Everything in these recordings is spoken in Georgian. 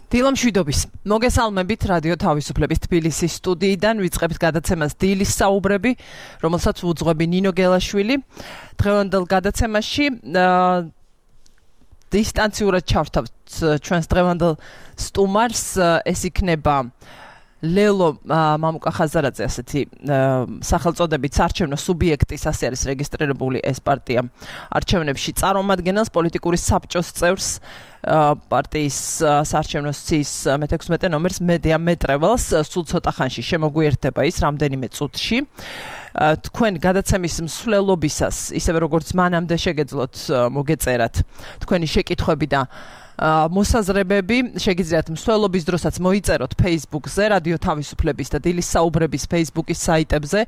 დილამშვიდობის. მოგესალმებით რადიო თავისუფლების თბილისის სტუდიიდან ვიწყებთ გადაცემას დილის საუბრები, რომელსაც უძღვები ნინო გელაშვილი. დღევანდელ გადაცემაში დისტანციურად ჩავთავთ ჩვენს დღევანდელ სტუმარს, ეს იქნება ლელო მამუკა ხაზარაძე, ასეთი სახელწოდებით საარჩევნო სუბიექტის, ასე არის რეგისტრირებული ეს პარტია არჩევნებში წარმომადგენელს, პოლიტიკური საბჭოს წევრს, პარტიის საარჩევნო სიის მე-16 ნომერს მედიამეტრეველს, სულ ცოტა ხანში შემოგვიერთდება ის რამდენიმე წუთში. თქვენ გადაცემის მსვლელობისას, ისევე როგორც მანამდე შეგეძლოთ მოგეწერათ თქვენი შეკითხვები და მოსაზრებები, შეგიძლიათ მსვლელობის დროსაც მოიწეროთ Facebook-ზე, რადიო თავისუფლების და დილის საუბრების Facebook-ის საიტებზე,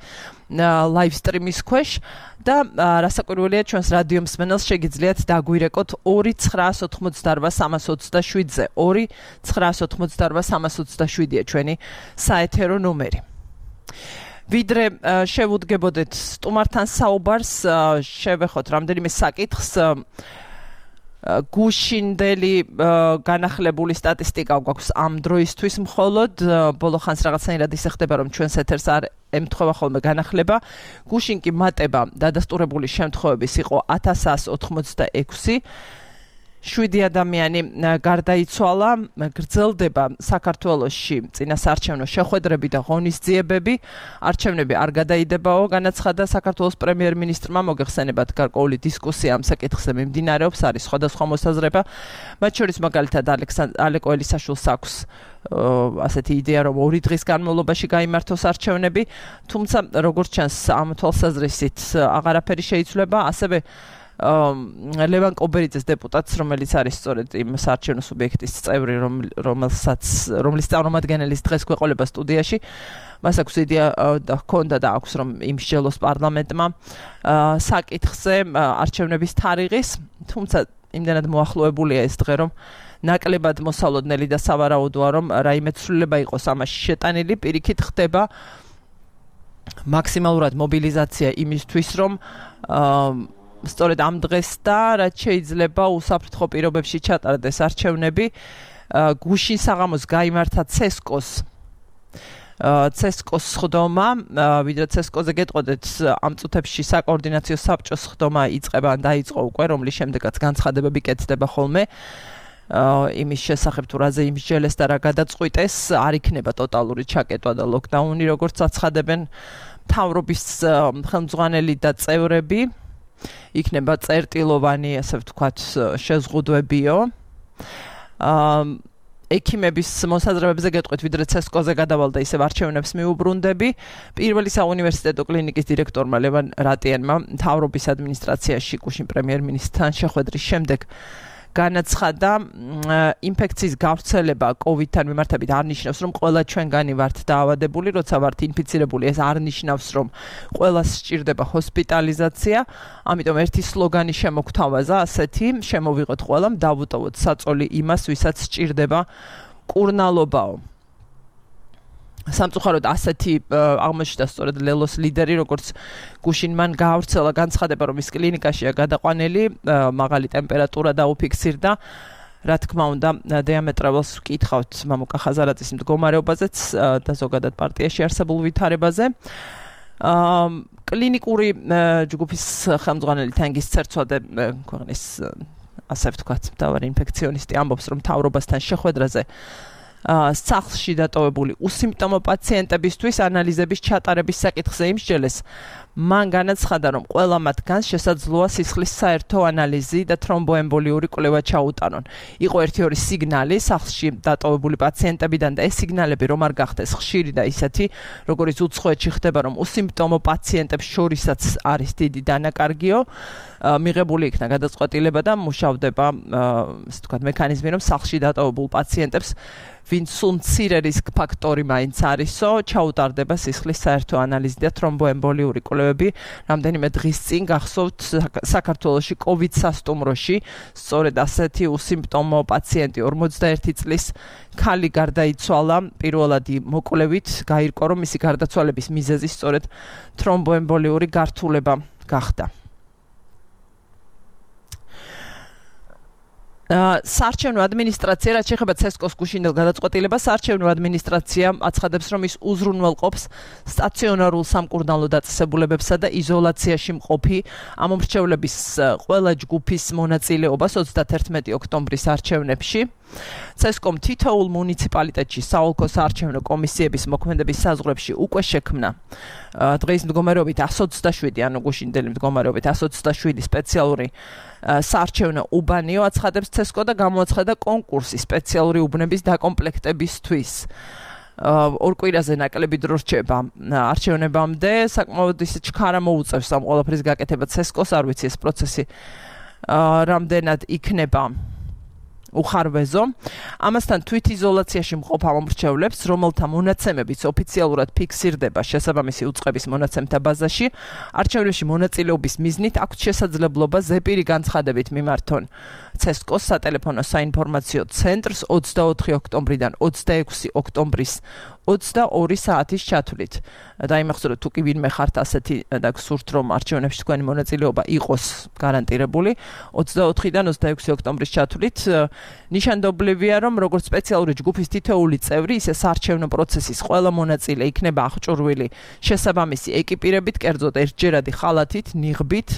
live stream-ის ქვეშ და რასაკვირველია, ჩვენს რადიო მსმენელს შეგიძლიათ დაგვირეკოთ 2988327-ზე. 2988327-ია ჩვენი საეთერო ნომერი. ვიდრე შევუდგებოდეთ სტუმართან საუბარს, შევეხოთ რამდენიმე საკითხს. გუშინდელი განახლებული სტატისტიკა გვაქვს ამ დროისთვის მხოლოდ, ბოლო ხანს რაღაცნაირად ისე ხდება, რომ ჩვენს ეთერს არ ემთხვევა ხოლმე განახლება. გუშინ კი მატება დადასტურებული შემთხვევების იყო 1186. 7 ადამიანი გარდაიცვალა, გრძელდება საქართველოში წინასაარჩევნო შეხვედრები და ღონისძიებები. არჩევნები არ გადაიდებაო, განაცხადა საქართველოს პრემიერ-მინისტრმა. მოგეხსენებათ, გარკვეული დისკუსია ამ საკითხზე მიმდინარეობს, არის სხვადასხვა მოსაზრება. მათ შორის მაგალითად ალეკო ელისაშვილს აქვს ასეთი იდეა, რომ 2 დღის განმავლობაში გაიმართოს არჩევნები, თუმცა როგორც ჩანს ამ თვალსაზრისით აღარაფერი შეიცვლება, ასევე ლევან კობერიძეს დეპუტატს, რომელიც არის სწორედ იმ საარჩევნო სუბიექტის წევრი, რომლის წარმომადგენელის დღეს გვეყოლება სტუდიაში, მას აქვს იდეა და ჰქონდა და აქვს, რომ იმსჯელოს პარლამენტმა საკითხზე არჩევნების თარიღის, თუმცა იმდენად მოახლოებულია ეს დღე, რომ ნაკლებად მოსალოდნელი და სავარაუდოა, რომ რაიმე ცვლილება იყოს ამაში შეტანილი, პირიქით ხდება მაქსიმალურად მობილიზაცია იმისთვის, რომ სწორედ ამ დღეს და რაც შეიძლება უსაფრთხო პირობებში ჩატარდეს არჩევნები. გუშინ საღამოს გაიმართა ცესკოს სხდომა, ვიდრე ცესკოზე გეტყოდეთ, ამ წუთებში საკოორდინაციო საბჭოს სხდომა იწყება ან დაიწყო უკვე, რომლის შემდეგაც განცხადებები კეთდება ხოლმე. იმის შესახებ თუ რაზე იმსჯელეს და რა გადაწყვიტეს, არ იქნება ტოტალური ჩაკეტვა და ლოკდაუნი, როგორც აცხადებენ მთავრობის ხელმძღვანელი და წევრები. იქნება წერტილოვანი, ასე ვთქვათ, შეზღუდვებიო. ექიმების მოსაზრებებზე გეტყვით, ვიდრე ცესკოზე გადავალ და ისევ არჩევნებს მიუბრუნდები. პირველი საუნივერსიტეტო კლინიკის დირექტორმა ლევან რატიანმა მთავრობის ადმინისტრაციაში გუშინ პრემიერ-მინისტრთან შეხვედრის შემდეგ განაცხადა, ინფექციის გავრცელება COVID-თან მიმართებით არ ნიშნავს, რომ ყველა ჩვენგანი ვართ დაავადებული, როცა ვართ ინფიცირებული, ეს არ ნიშნავს, რომ ყველას სჭირდება ჰოსპიტალიზაცია. ამიტომ ერთი სლოგანი შემოგთავაზა, ასეთი, შემოვიღოთ ყველამ, დავუტოვოთ საწოლი იმას, ვისაც სჭირდება კურნალობაო. სამწუხაროდ ასეთი აღმოჩნდა სწორედ ლელოს ლიდერი, როგორც გუშინ მან გაავრცელა განცხადება, რომ ის კლინიკაშია გადაყვანილი, მაღალი ტემპერატურა დაუფიქსირდა. რა თქმა უნდა, დიამეტრეველს ვკითხავთ მამუკა ხაზარაძის მდგომარეობაზეც და ზოგადად პარტიაში არსებულ ვითარებაზე. კლინიკური ჯგუფის ხელმძღვანელი თენგის ცერცვადე ქვეყნის, ასე ვთქვათ, მთავარი ინფექციონისტი ამბობს, რომ მთავრობასთან შეხვედრაზე სახლში დატოვებული უსიმპტომო პაციენტებისთვის ანალიზების ჩატარების საკითხზე იმსჯელეს. მან განაცხადა, რომ ყველა მათგანს შესაძლოა სისხლის საერთო ანალიზი და თრომბოემბოლიური კვლევა ჩაუტანონ. იყო 1-2 სიგნალი სახლში დატოვებული პაციენტებიდან და ეს სიგნალები რომ არ გახდეს ხშირი და ისეთი, როგორც უცხოეთში ხდება, რომ უსიმპტომო პაციენტებს შორისაც არის დიდი დანაკარგიო, მიღებული იქნა გადაწყვეტილება და მუშავდება, ასე ვთქვათ, მექანიზმი, რომ სახლში დატოვებულ პაციენტებს ვინც სულ მცირე რისკ ფაქტორი მაინც არისო, ჩაუტარდება სისხლის საერთო ანალიზი და თრომბოემბოლიური კვლევები. რამდენიმე დღის წინ გახსოვთ საქართველოში COVID სასტუმროში სწორედ ასეთი უსიმპტომო პაციენტი 41 წლის ქალი გარდაიცვალა. პირველადი მოკვლევით გაირკვა, რომ მისი გარდაცვალების მიზეზი სწორედ თრომბოემბოლიური გართულება გახდა. საარჩევნო ადმინისტრაცია რაც შეეხება ცესკოს გუშინდელ გადაწყვეტილებას საარჩევნო ადმინისტრაცია აცხადებს რომ ის უზრუნველყოფს სტაციონარულ სამკურნალო დაწესებულებებსა და იზოლაციაში მყოფი ამომრჩევლების ყველა ჯგუფის მონაწილეობას 31 ოქტომბრის არჩევნებში ცესკომ თითოეულ მუნიციპალიტეტში საოლქო საარჩევნო კომისიების მოქმედების საზღვრებში უკვე შექმნა დღეის მდგომარეობით 127 ანუ გუშინდელი მდგომარეობით 127 სპეციალური საარჩევნო უბანიო აცხადებს ცესკო და გამოაცხადა კონკურსი სპეციალური უბნების დაკომპლექტებისთვის ორ კვირაზე ნაკლები დრო რჩება არჩევნებამდე საკმაოდ ისე ჩქარა მოუწევს ამ ყველაფრის გაკეთება ცესკოს არ ვიცი ეს პროცესი რამდენად იქნება უხარვეზო ამასთან თვითიზოლაციაში მყოფ ამომრჩევლებს რომელთა მონაცემებიც ოფიციალურად ფიქსირდება შესაბამისი უწყების მონაცემთა ბაზაში არჩევნებში მონაწილეობის მიზნით აქვთ შესაძლებლობა ზეპირი განცხადებით მიმართონ ცესკოს სატელეფონო საინფორმაციო ცენტრს 24 ოქტომბრიდან 26 ოქტომბრის 22 საათის ჩათვლით. დაიმახსოვრეთ თუ კი ვინმე ხართ ასეთი და გსურთ რომ არჩევნებში თქვენი მონაწილეობა იყოს გარანტირებული 24-დან 26 ოქტომბრის ჩათვლით ნიშანდობლივია რომ როგორც სპეციალური ჯგუფის თითოეული წევრი ისე საარჩევნო პროცესის ყველა მონაწილე იქნება აღჭურვილი შესაბამისი ეკიპირებით კერძოდ ერთჯერადი ხალათით ნიღბით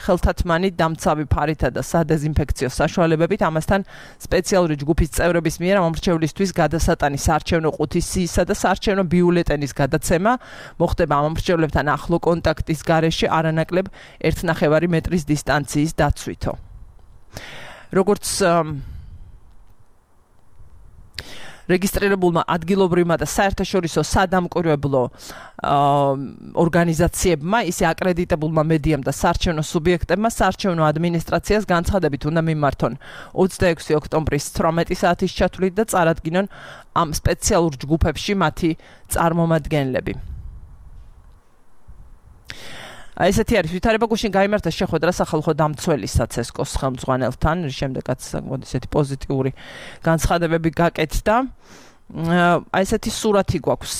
ხელთათმანი დამცავი ფარითა და სადეზინფექციო საშუალებებით ამასთან სპეციალური ჯგუფის წევრების მიერ ამომრჩევლისთვის გადასატანი საარჩევნო ყუთის სიისა და საარჩევნო ბიულეტენის გადაცემა მოხდება ამომრჩევლებთან ახლო კონტაქტის გარეშე არანაკლებ 1.5 მეტრის დისტანციის დაცვითო როგორც რეგისტრირებულმა ადგილობრივმა და საერთაშორისო სადამკვირვებლო ორგანიზაციებმა ისე აკრედიტებულმა მედიამ და საარჩევნო სუბიექტებმა საარჩევნო ადმინისტრაციას განცხადებით უნდა მიმართონ 26 ოქტომბრის 18 საათის ჩათვლით და წარადგინონ ამ სპეციალურ ჯგუფებში მათი წარმომადგენლები. ესეთი არის ვითარება გუშინ გაიმართა შეხვედრა სახალხო დამცველისა ცესკოს ხელმძღვანელთან შემდეგაც ესეთი პოზიტიური განცხადებები გაკეთდა ესეთი სურათი გვაქვს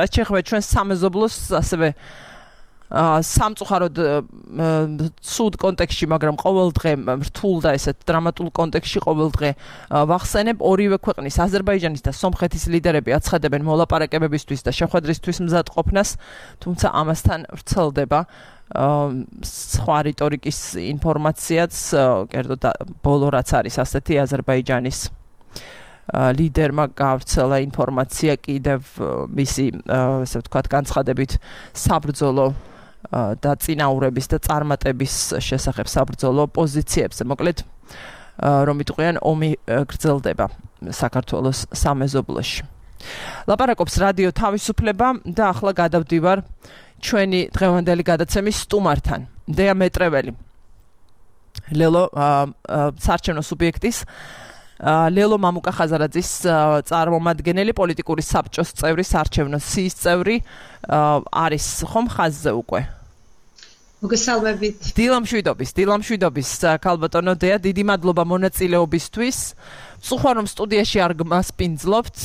რაც შეეხება ჩვენ სამეზობლოს ასევე სამწუხაროდ სუდ კონტექსტში მაგრამ ყოველდღე რთულ და ესეთ დრამატულ კონტექსტში ყოველდღე ვახსენებ ორივე ქვეყნის აზერბაიჯანის და სომხეთის ლიდერები აცხადებენ მოლაპარაკებებისთვის და შეხვედრისთვის მზადყოფნას თუმცა ამასთან ვრცელდება სხვა რიტორიკის ინფორმაციაც კერძოდ ბოლო რაც არის ასეთი აზერბაიჯანის ლიდერმა გავრცელა ინფორმაცია კიდევ მისი ესე ვთქვათ განცხადებით საბრძოლო და წინაურების და წარმატების შესახებ საბრძოლო პოზიციებზე. მოკლედ რომ იტყვიან ომი გრძელდება საქართველოს სამეზობლოში. ლაპარაკობს რადიო თავისუფლება და ახლა გადავდივარ ჩვენი დღევანდელი გადაცემის სტუმართან. დეა მეტრეველი. ლელო საარჩევნო სუბიექტის ლელო მამუკახაზარაძის წარმომადგენელი პოლიტიკური საბჭოს წევრი საარჩევნო სიის წევრი არის ხომ ხაზზე უკვე მოგესალმებით დილამშვიდობის ქალბატონო დეა დიდი მადლობა მონაწილეობისთვის ვწუხარ რომ სტუდიაში არ გმასპინძლობთ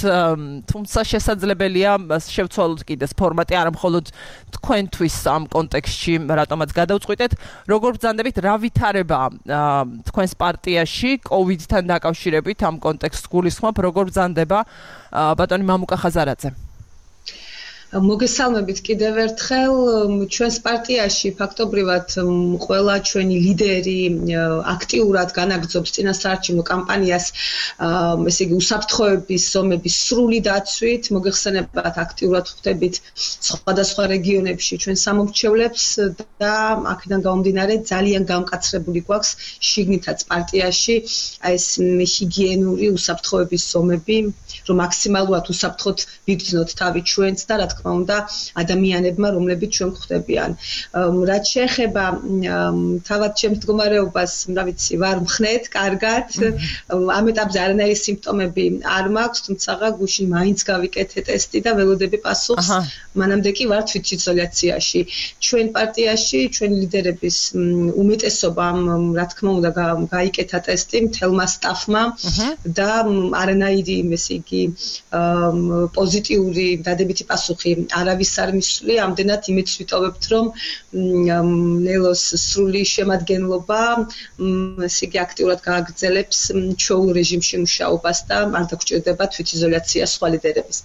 თუმცა შესაძლებელია შევცვალოთ კიდეს ფორმატი არა მხოლოდ თქვენთვის ამ კონტექსტში რატომაც გადავწყვიტეთ როგორ ბრძანდებით რა ვითარება თქვენს პარტიაში კოვიდთან დაკავშირებით ამ კონტექსტს გულისხმობ როგორ ბრძანდება ბატონი მამუკახაზარაძე მოგესალმებით კიდევ ერთხელ ჩვენს პარტიაში ფაქტობრივად ყველა ჩვენი ლიდერი აქტიურად განაგრძობს წინასაარჩევნო კამპანიას ესე იგი უსაფრთხოების ზომების სრული დაცვით მოგეხსენებათ აქტიურად ხვდებით სხვადასხვა რეგიონებში ჩვენ სამომრჩევლებს და აქედან გამომდინარე ძალიან გამკაცრებული გვაქვს შიგნითაც პარტიაში ეს ჰიგიენური უსაფრთხოების ზომები რომ მაქსიმალურად უსაფრთხოდ ვიგრძნოთ თავი ჩვენც და რა თქმა უნდა ადამიანებმა რომლებიც ჩვენ გვხვდებიან რაც შეეხება თავად ჩემს მდგომარეობას რა ვიცი ვარ მხნეთ კარგად ამ ეტაპზე არანაირი სიმპტომები არ მაქვს თუმცა გუშინ მაინც გავიკეთე ტესტი და ველოდები პასუხს მანამდე კი ვარ თვითიზოლაციაში ჩვენ პარტიაში ჩვენი ლიდერების უმეტესობამ რა თქმა უნდა გაიკეთა ტესტი მთელმა სტაფმა და არანაირი ესე იგი პოზიტიური დადებითი პასუხი არავის არ მისვლი, ამდენად იმეც ვიტოვებთ, რომ ლელოს სრული შემადგენლობა ესე იგი აქტიურად გააგრძელებს ჩვეულ რეჟიმში მუშაობას და არ დაგჭირდება თვითიზოლაცია სხვა ლიდერების.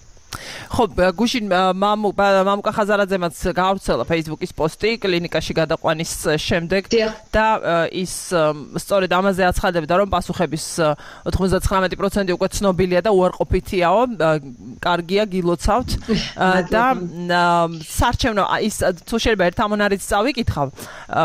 ხო, გუშინ მამუკა ხაზარაძემაც გაავრცელა Facebook-ის პოსტი კლინიკაში გადაყვანის შემდეგ და ის სწორედ ამაზე აცხადებდა, რომ პასუხების 99% უკვე ცნობილია და უარყოფითიაო, კარგია, გილოცავთ და საარჩევნო ის თუ შეიძლება ერთ ამონარიც წავიკითხავ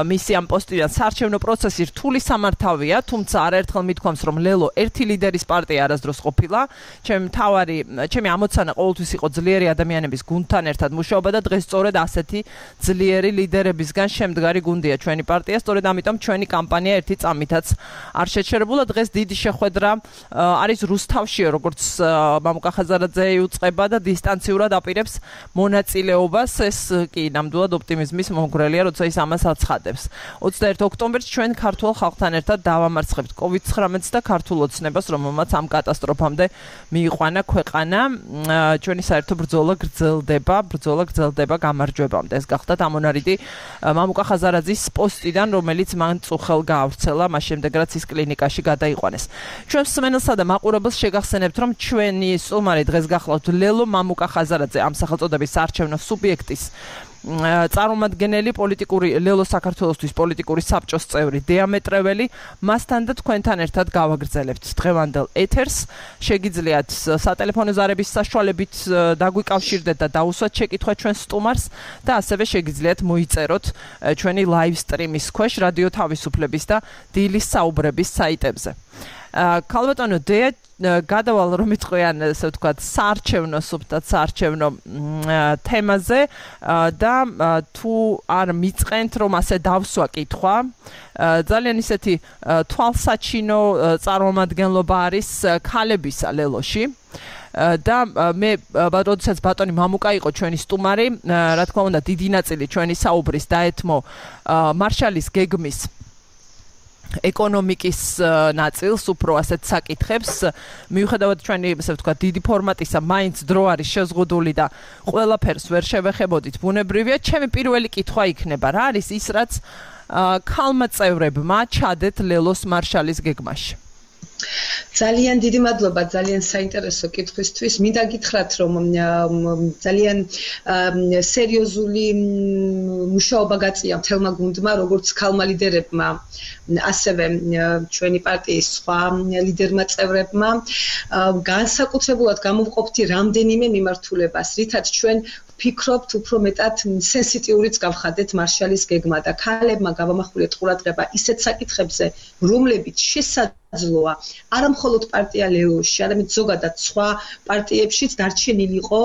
მისი ამ პოსტიდან საარჩევნო პროცესი რთული სამართავია, თუმცა არაერთხელ მithქვამს, რომ ლელო ერთი ლიდერის პარტია არასდროს ყოფილა, ჩემი ამოცანა ყოველთვის იყო ძლიერი ადამიანების გუნდთან ერთად მუშაობა და დღეს სწორედ ასეთი ძლიერი ლიდერებისგან შემდგარი გუნდია ჩვენი პარტია, სწორედ ამიტომ ჩვენი კამპანია ერთი წამითაც არ შეჩერებულა. დღეს დიდი შეხვედრა არის რუსთავშიო, როგორც მამუკა ხაზარაძე იუწყება და დისტანციურად აპირებს მონაწილეობას. ეს კი ნამდვილად ოპტიმიზმის მომგვრელია, როცა ის ამას აცხადებს. 21 ოქტომბერს ჩვენ ქართულ ხალხთან ერთად დავამარცხებთ COVID-19 და ქართულ ოცნებას, რომელმაც ამ კატასტროფამდე მიიყვანა ქვეყანა. ჩვენი საერთო ბრძოლა გრძელდება გამარჯვებამდე. ეს გახდა ამონარიდი მამუკა ხაზარაძის პოსტიდან, რომელიც მან წუხელ გაავრცელა, მას შემდეგ რაც ის კლინიკაში გადაიყვანეს. ჩვენ მსმენელსა და მაყურებელს შეგახსენებთ, რომ ჩვენი სტუმარი დღეს გახლავთ ლელო მამუკა ხაზარაძე, ამ სახელწოდების საარჩევნო სუბიექტის წარმომადგენელი, ლელო საქართველოსთვის პოლიტიკური საბჭოს წევრი, დიამეტრეველი, მასთან და თქვენთან ერთად გავაგრძელებთ დღევანდელ ეთერს. შეგიძლიათ სატელეფონო ზარების საშუალებით დაგვიკავშირდეთ და დაუსვათ შეკითხვა ჩვენ სტუმარს და ასევე შეგიძლიათ მოიწეროთ ჩვენი live stream-ის ქვეშ რადიო თავისუფლების და დილის საუბრების საიტებზე. ქალბატონო დეა გადავალ რომ იტყვიან ესე ვთქვათ საარჩევნო თემაზე და თუ არ მიწყენთ რომ ასე დავსვა კითხვა ძალიან ისეთი თვალსაჩინო წარმომადგენლობა არის ქალებისა ლელოში და მე როდესაც ბატონი მამუკა იყო ჩვენი სტუმარი, რა თქმა უნდა დიდი ნაწილი ჩვენი საუბრის დაეთმო მარშალის გეგმის ეკონომიკის ნაწილს, უფრო ასეთ საკითხებს, მიუხედავად ჩვენი ესე ვთქვათ დიდი ფორმატისა, მაინც დრო არის შეზღუდული და ყველაფერს ვერ შევეხებოდით ბუნებრივია. ჩემი პირველი კითხვა იქნება, რა არის ის, რაც ქალმა წევრებმა ჩადეთ ლელოს მარშალის გეგმაში? ძალიან დიდი მადლობა, ძალიან საინტერესო კითხვისთვის. მინდა გითხრათ, რომ ძალიან სერიოზული მუშაობა გაწია მთელმა გუნდმა, როგორც ქალმა ლიდერებმა, ასევე ჩვენი პარტიის სხვა ლიდერმა წევრებმა. განსაკუთრებულად გამოვყოფთ რამდენიმე მიმართულებას, რითაც ჩვენ ვფიქრობთ, უფრო მეტად სენსიტიურიც გავხადეთ მარშალის გეგმა და ქალებმა გავამახვილეთ ყურადღება ისეთ საკითხებზე, რომლებიც შესაძლოა არა მხოლოდ პარტია ლელოში, არამედ ზოგადად სხვა პარტიებშიც დარჩენილი იყო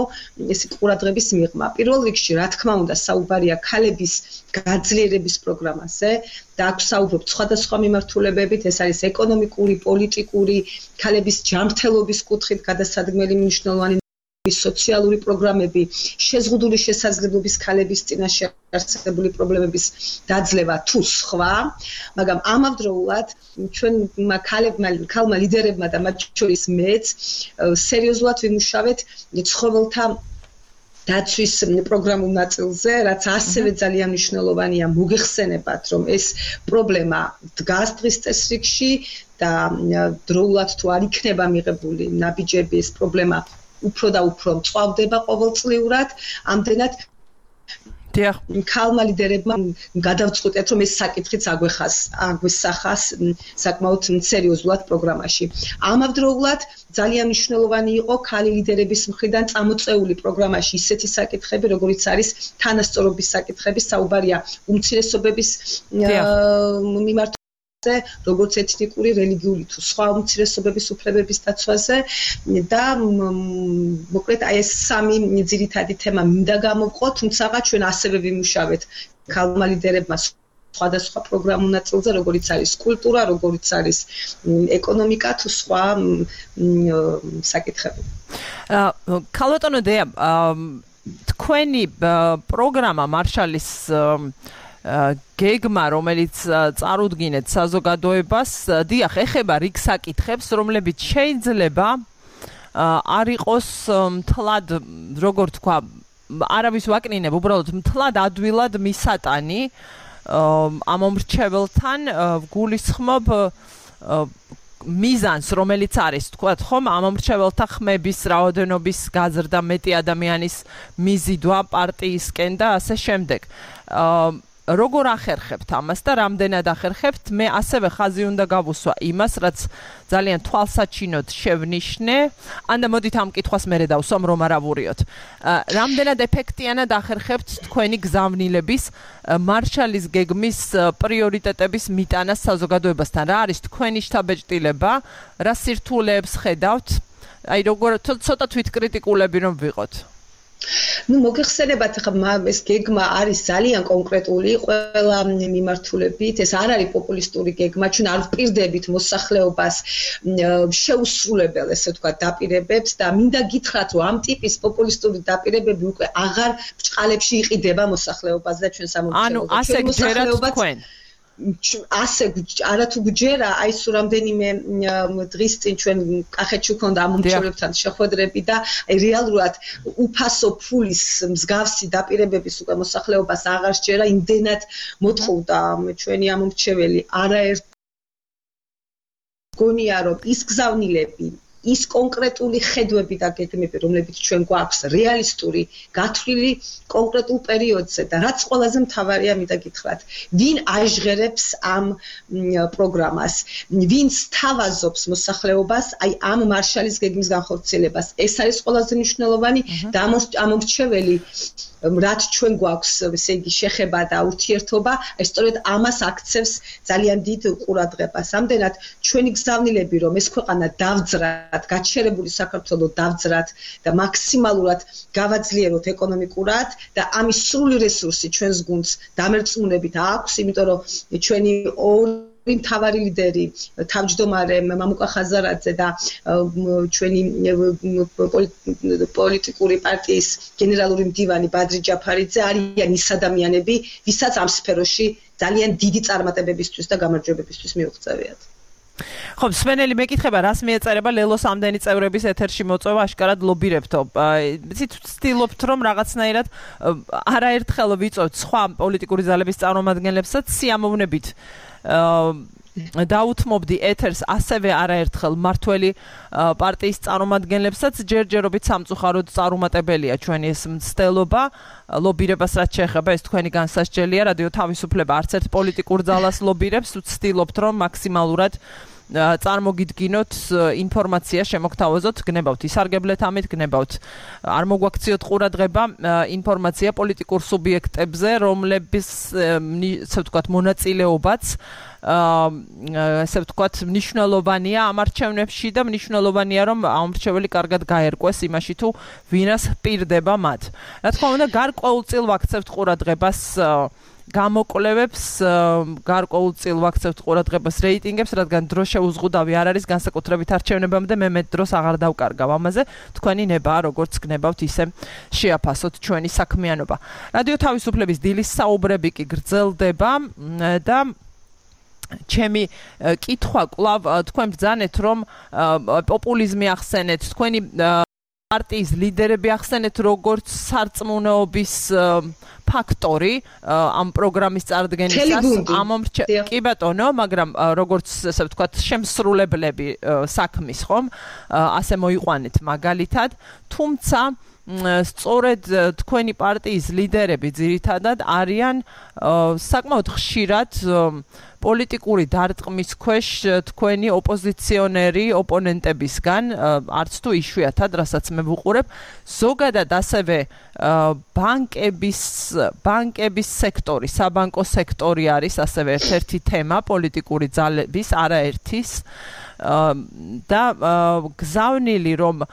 ესე ყურადღების მიღმა. პირველ რიგში, რა თქმა უნდა, საუბარია ქალების გაძლიერების პროგრამაზე და აქ საუბრობთ სხვადასხვა მიმართულებებით, ეს არის ეკონომიკური, პოლიტიკური, ქალების ჯანმრთელობის კუთხით გადასადგმელი მნიშვნელოვანი სოციალური პროგრამები, შეზღუდული შესაძლებლობის ქალების წინაშე არსებული პრობლემების დაძლევა თუ სხვა, მაგრამ ამავდროულად ჩვენ ქალმა ლიდერებმა და მათ შორის მეც სერიოზულად ვიმუშავეთ ცხოველთა დაცვის პროგრამულ ნაწილზე, რაც ასევე ძალიან მნიშვნელოვანია. მოგეხსენებათ, რომ ეს პრობლემა დგას დღის წესრიგში და დროულად თუ არ იქნება მიღებული ნაბიჯები, ეს პრობლემა უფრო და უფრო მწვავდება ყოველწლიურად. ამდენად ქალმა ლიდერებმა გადავწყვიტეთ, რომ ეს საკითხიც აგვესახას საკმაოდ სერიოზულად პროგრამაში. ამავდროულად ძალიან მნიშვნელოვანი იყო ქალი ლიდერების მხრიდან წამოწეული პროგრამაში ისეთი საკითხები, როგორიც არის თანასწორობის საკითხები, საუბარია უმცირესობების მიმართ როგორც ეთნიკური, რელიგიური თუ სხვა უმცირესობების უფლებების დაცვაზე და მოკლედ აი ეს სამი ძირითადი თემა მინდა გამოვყო, თუმცა ჩვენ ასევე ვიმუშავეთ ქალმა ლიდერებმა სხვადასხვა პროგრამულ ნაწილზე, როგორიც არის კულტურა, როგორიც არის ეკონომიკა თუ სხვა საკითხები. ქალბატონო დეა, თქვენი პროგრამა მარშალის გეგმა, რომელიც წარუდგინეთ საზოგადოებას, დიახ, ეხება რიგ საკითხებს, რომლებიც შეიძლება არ იყოს მთლად, როგორ თქვა, არავის ვაკნინებ, უბრალოდ მთლად ადვილად მისატანი ამ მომრჩეველთან გულისხმობ მიზანს, რომელიც არის, თქვათ ხომ, ამ მომრჩეველთა ხმების რაოდენობის გაზრდა, მეტი ადამიანის მიზიდვა პარტიისკენ და ასე შემდეგ. როგორ ახერხებთ ამას და რამდენად ახერხებთ? მე ასევე ხაზი უნდა გავუსვა იმას, რაც ძალიან თვალსაჩინოდ შევნიშნე. ანდა მოდით ამ კითხვას მერე დავსვამ, რომ არ ავურიოთ. რამდენად ეფექტიანად ახერხებთ თქვენი გზავნილების მარშალის გეგმის პრიორიტეტების მიტანას საზოგადოებასთან? რა არის თქვენი შთაბეჭდილება? რა სირთულეებს ხედავთ? აი როგორ ცოტა თვითკრიტიკულები რომ ვიყოთ. მოგეხსენებათ ხა ეს გეგმა არის ძალიან კონკრეტული ყველა მიმართულებით. ეს არ არის პოპულისტური გეგმა. ჩვენ არ ვპირდებით მოსახლეობას შეუსრულებელ, ესე ვთქვათ, დაპირებებს და მინდა გითხრათ, რომ ამ ტიპის პოპულისტური დაპირებები უკვე აღარ ბრჭყალებში იყიდება მოსახლეობას და ჩვენ სამომრჩეველო. ანუ ასე გჯერათ თქვენ. ასე არათუ გჯერა, აი სულ რამდენიმე დღის წინ ჩვენ კახეთში ვქონდა ამ მომრჩეველებთან შეხვედრები და აი რეალურად უფასო ფულის მსგავსი დაპირებების უკვე მოსახლეობას აღარ სჯერა, იმდენად მოთხოვდა ჩვენი ამ მომრჩეველი. არაერთ გონია რომ ის გზავნილები, ის კონკრეტული ხედვები და გეგმები, რომლებიც ჩვენ გვაქვს რეალისტური, გათვლილი კონკრეტულ პერიოდზე და რაც ყველაზე მთავარია, მინდა გითხრათ, ვინ აჟღერებს ამ პროგრამას, ვინ სთავაზობს მოსახლეობას აი ამ მარშალის გეგმის განხორციელებას. ეს არის ყველაზე მნიშვნელოვანი და ამ მომრჩეველი რაც ჩვენ გვაქვს, ესე იგი, შეხება და ურთიერთობა, ეს სწორედ ამას აქცევს ძალიან დიდ ყურადღებას. ამდენად ჩვენი გზავნილები, რომ ეს ქვეყანა დავძრათ, გაჩერებული საქართველო დავძრათ და მაქსიმალურად გავაძლიეროთ ეკონომიკურად და ამის სრული რესურსი ჩვენს გუნდს დამერწმუნებით აქვს, იმიტომ რომ ჩვენი მთავარი ლიდერი, თავმჯდომარე მამუკა ხაზარაძე და ჩვენი პოლიტიკური პარტიის გენერალური მდივანი ბადრი ჯაფარიძე არიან ის ადამიანები, ვისაც ამ სფეროში ძალიან დიდი წარმატებებისთვის და გამარჯვებებისთვის მიუღწევიათ. ხო, სვენელი მეკითხება, რას მიეწერება ლელოს ამდენი წევრების ეთერში მოწვევა, აშკარად ლობირებთო. იცით, ვცდილობთ, რომ რაღაცნაირად არაერთხელ ვიწვევთ სხვა პოლიტიკური ძალების წარმომადგენლებსაც სიამოვნებით დაუთმობდი ეთერს ასევე არაერთხელ მართველი პარტიის წარმომადგენლებსაც, ჯერჯერობით სამწუხაროდ წარუმატებელია ჩვენი ეს მცდელობა, ლობირებას რაც შეეხება, ეს თქვენი განსასჯელია, რადიო თავისუფლება არც ერთ პოლიტიკურ ძალას ლობირებს, ვცდილობთ, რომ მაქსიმალურად წარმოგიდგინოთ ინფორმაცია, შემოგთავაზოთ, გნებავთ ისარგებლეთ ამით, გნებავთ არ მოგვაქციოთ ყურადღება ინფორმაცია პოლიტიკურ სუბიექტებზე, რომლების ესე ვთქვათ მონაწილეობაც ესე ვთქვათ მნიშვნელოვანია ამ არჩევნებში და მნიშვნელოვანია რომ ამრჩეველი კარგად გაერკვეს იმაში თუ ვინას პირდება მათ. რა თქმა უნდა, გარკვეულწილ ვაქცევთ ყურადღებას გამოკვლევებს, გარკვეულწილ ვაქცევთ ყურადღებას რეიტინგებს, რადგან დრო შეუზღუდავი არ არის განსაკუთრებით არჩევნებამდე, მე მეტ დროს აღარ დავკარგავ ამაზე. თქვენი ნებაა, როგორც გნებავთ, ისე შეაფასოთ ჩვენი საქმიანობა. რადიო თავისუფლების დილის საუბრები კი გრძელდება და ჩემი კითხვა კვლავ თქვენ ბრძანეთ, რომ პოპულიზმი ახსენეთ, თქვენი პარტიის ლიდერები ახსენეთ როგორც სარწმუნოების ფაქტორი ამ პროგრამის წარდგენისას, კი ბატონო, მაგრამ როგორც ესე ვთქვათ, შემსრულებლები საქმის, ხომ? ასე მოიყვანეთ მაგალითად, თუმცა სწორედ თქვენი პარტიის ლიდერები ძირითადად არიან საკმაოდ ხშირად პოლიტიკური დარტყმის ქვეშ თქვენი ოპოზიციონერი ოპონენტებისგან, არც თუ იშვიათად, რასაც მე ვუყურებ, ზოგადად ასევე ბანკების სექტორი, საბანკო სექტორი არის ასევე ერთ-ერთი თემა პოლიტიკური ძალების, არაერთის და გზავნილი რომ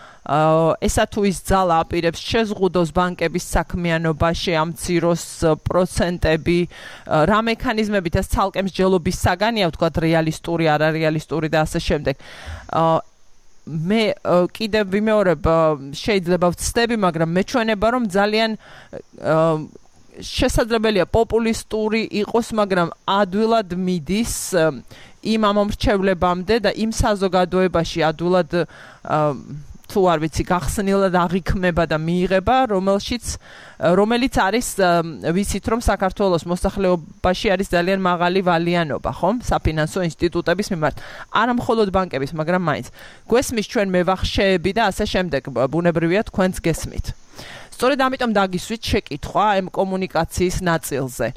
ესა თუ ის ძალა აპირებს შეზღუდოს ბანკების საქმიანობაში, ამციროს პროცენტები, რა მექანიზმებით ეს ცალკე მსჯელობის საგანია, ვთქვათ, რეალისტური, არარეალისტური და ასე შემდეგ. მე კიდევ ვიმეორებ, შეიძლება ვცდები, მაგრამ მეჩვენება რომ ძალიან შესაძლებელია პოპულისტური იყოს, მაგრამ ადვილად მიდის იმ ამომრჩევლებამდე და იმ საზოგადოებაში ადვილად თუ არ ვიცი გახსნილად აღიქმება და მიიღება, რომელიც არის ვიცით რომ საქართველოს მოსახლეობაში არის ძალიან მაღალი ვალიანობა, ხომ? საფინანსო ინსტიტუტების მიმართ. არა მხოლოდ ბანკების, მაგრამ მაინც. გვესმის ჩვენ მევახშეები და ასე შემდეგ. ბუნებრივია თქვენც გესმით. სწორედ ამიტომ დაგისვით შეკითხვა ამ კომუნიკაციის ნაწილზე.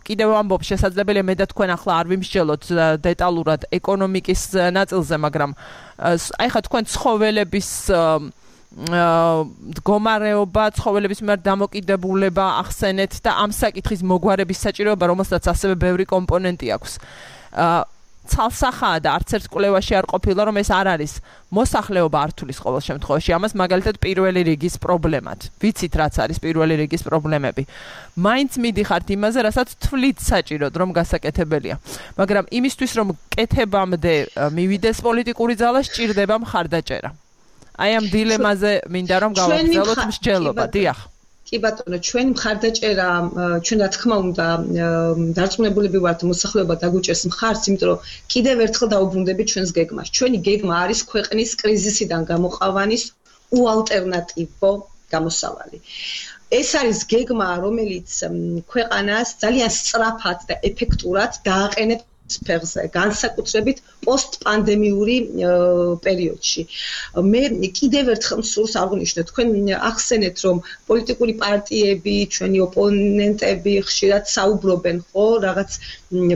კიდევ ამბობ შესაძლებელია მე და თქვენ ახლა არ ვიმსჯელოთ დეტალურად ეკონომიკის ნაწილზე, მაგრამ აი ხა თქვენ ცხოველების მდგომარეობა, ცხოველების მიმართ დამოკიდებულება ახსენეთ და ამ საკითხის მოგვარების საჭიროება, რომელსაც ასევე ბევრი კომპონენტი აქვს. ცალსახაა და არც ერთ კვლევაში არ ყოფილა, რომ ეს არ არის მოსახლეობა არ თulis ყოველ შემთხვევაში. ამას მაგალითად პირველი რიგის პრობლემად. ვიცით რაც არის პირველი რიგის პრობლემები. მაინც მიდიხართ იმაზე, რასაც თვლით საჭიროდ, რომ გასაკეთებელია. მაგრამ იმისთვის, რომ კეთებამდე მივიდეს პოლიტიკური ძალა, სჭირდება მხარდაჭერა. აი ამ დილემაზე მინდა რომ გავაგრძელოთ მსჯელობა. დიახ. კი ბატონო, ჩვენი მხარდაჭერა, ჩვენ რა თქმა უნდა, დარწმუნებულები ვართ, მოსახლეობა დაგვიჭერს მხარს, იმიტომ რომ კიდევ ერთხელ დაუბრუნდებით ჩვენს გეგმას. ჩვენი გეგმა არის ქვეყნის კრიზისიდან გამოყავანის უალტერნატივო გამოსავალი. ეს არის გეგმა, რომელიც ქვეყანას ძალიან სწრაფად და ეფექტურად დააყენებს სფეროზე, განსაკუთრებით პოსტპანდემიური პერიოდში. მე კიდევ ერთხელ მსურს აღვნიშნო, თქვენ ახსენეთ, რომ პოლიტიკური პარტიები, ჩვენი ოპონენტები ხშირად საუბრობენ, ხო, რაღაც